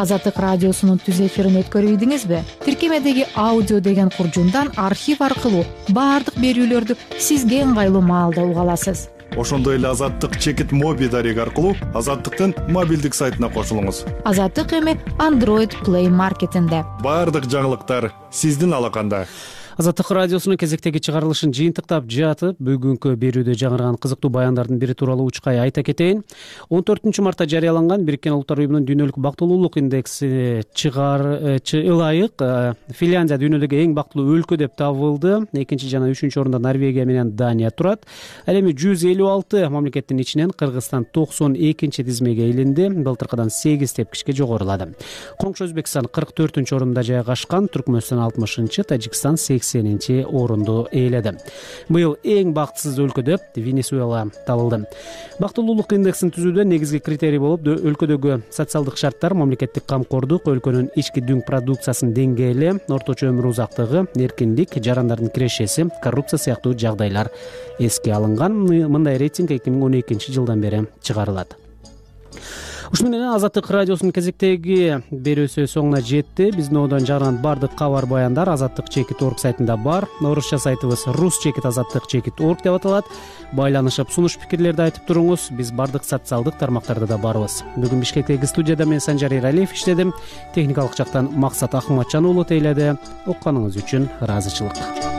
Азаттык радиосунун түз эфирин өткөрүп ийдиңизби? Тиркемедеги аудио деген куржундан архив аркылуу баардык берүүлөрдү сизге ыңгайлуу маалда уга аласыз. Ошондой эле Азаттык чекит моби дареги аркылуу Азаттыктын мобилдик сайтына кошулуңуз. Азаттык эми Android Play Market'инде. Баардык жаңылыктар сиздин алаканда. Азаттык радиосунун кезектеги чыгарылышын жыйынтыктап жатып, бүгүнкү берүүдө жаңырган кызыктуу баяндардын бири тууралуу учкай айта кетейин. он төртүнчү мартта жарыяланган Бириккен Улуттар Уюмунун дүйнөлүк бактылуулук индекси чыгар ылайык Финляндия дүйнөдөгү эң бактылуу өлкө деп табылды. Экинчи жана үчүнчү орунда Норвегия менен Дания турат. Ал эми жүз элүү алты мамлекеттин ичинен Кыргызстан токсон экинчи тизмеге илинди. Былтыркыдан сегиз тепкичке жогорулады. Коңшу Өзбекстан кырк төртүнчү орунда жайгашкан, Түркмөнстан алтымышынчы, Тажикстан сексенинчи орунду ээледи. Быйыл эң бактысыз өлкө деп Венесуэла табылды. Бактылуулук индексин түзүүдө негизги критерий болуп өлкөдөгү социалдык шарттар, мамлекеттик камкордук, өлкөнүн ички дүң продукциясынын деңгээли, орточо өмүр узактыгы, эркиндик, жарандардын кирешеси, коррупция сыяктуу жагдайлар эске алынган. Мындай рейтинг эки миң он экинчи жылдан бери чыгарылат. Ушуну менен Азаттык радиосунун кезектеги берүүсү соңуна жетти. Биздин одон жарган бардык кабар баяндар азаттык чекит точка орг сайтында бар. Орусча сайтыбыз рус чекит азаттык чекит точка орг деп аталат. Байланышып, сунуш пикирлерди айтып туруңуз. Биз бардык социалдык тармактарда да барбыз. Бүгүн Бишкектеги студияда мен Санжар Эралиев иштедим. Техникалык жактан Максат Ахматжан уулу тейледи. Окканыңыз үчүн ыраазычылык.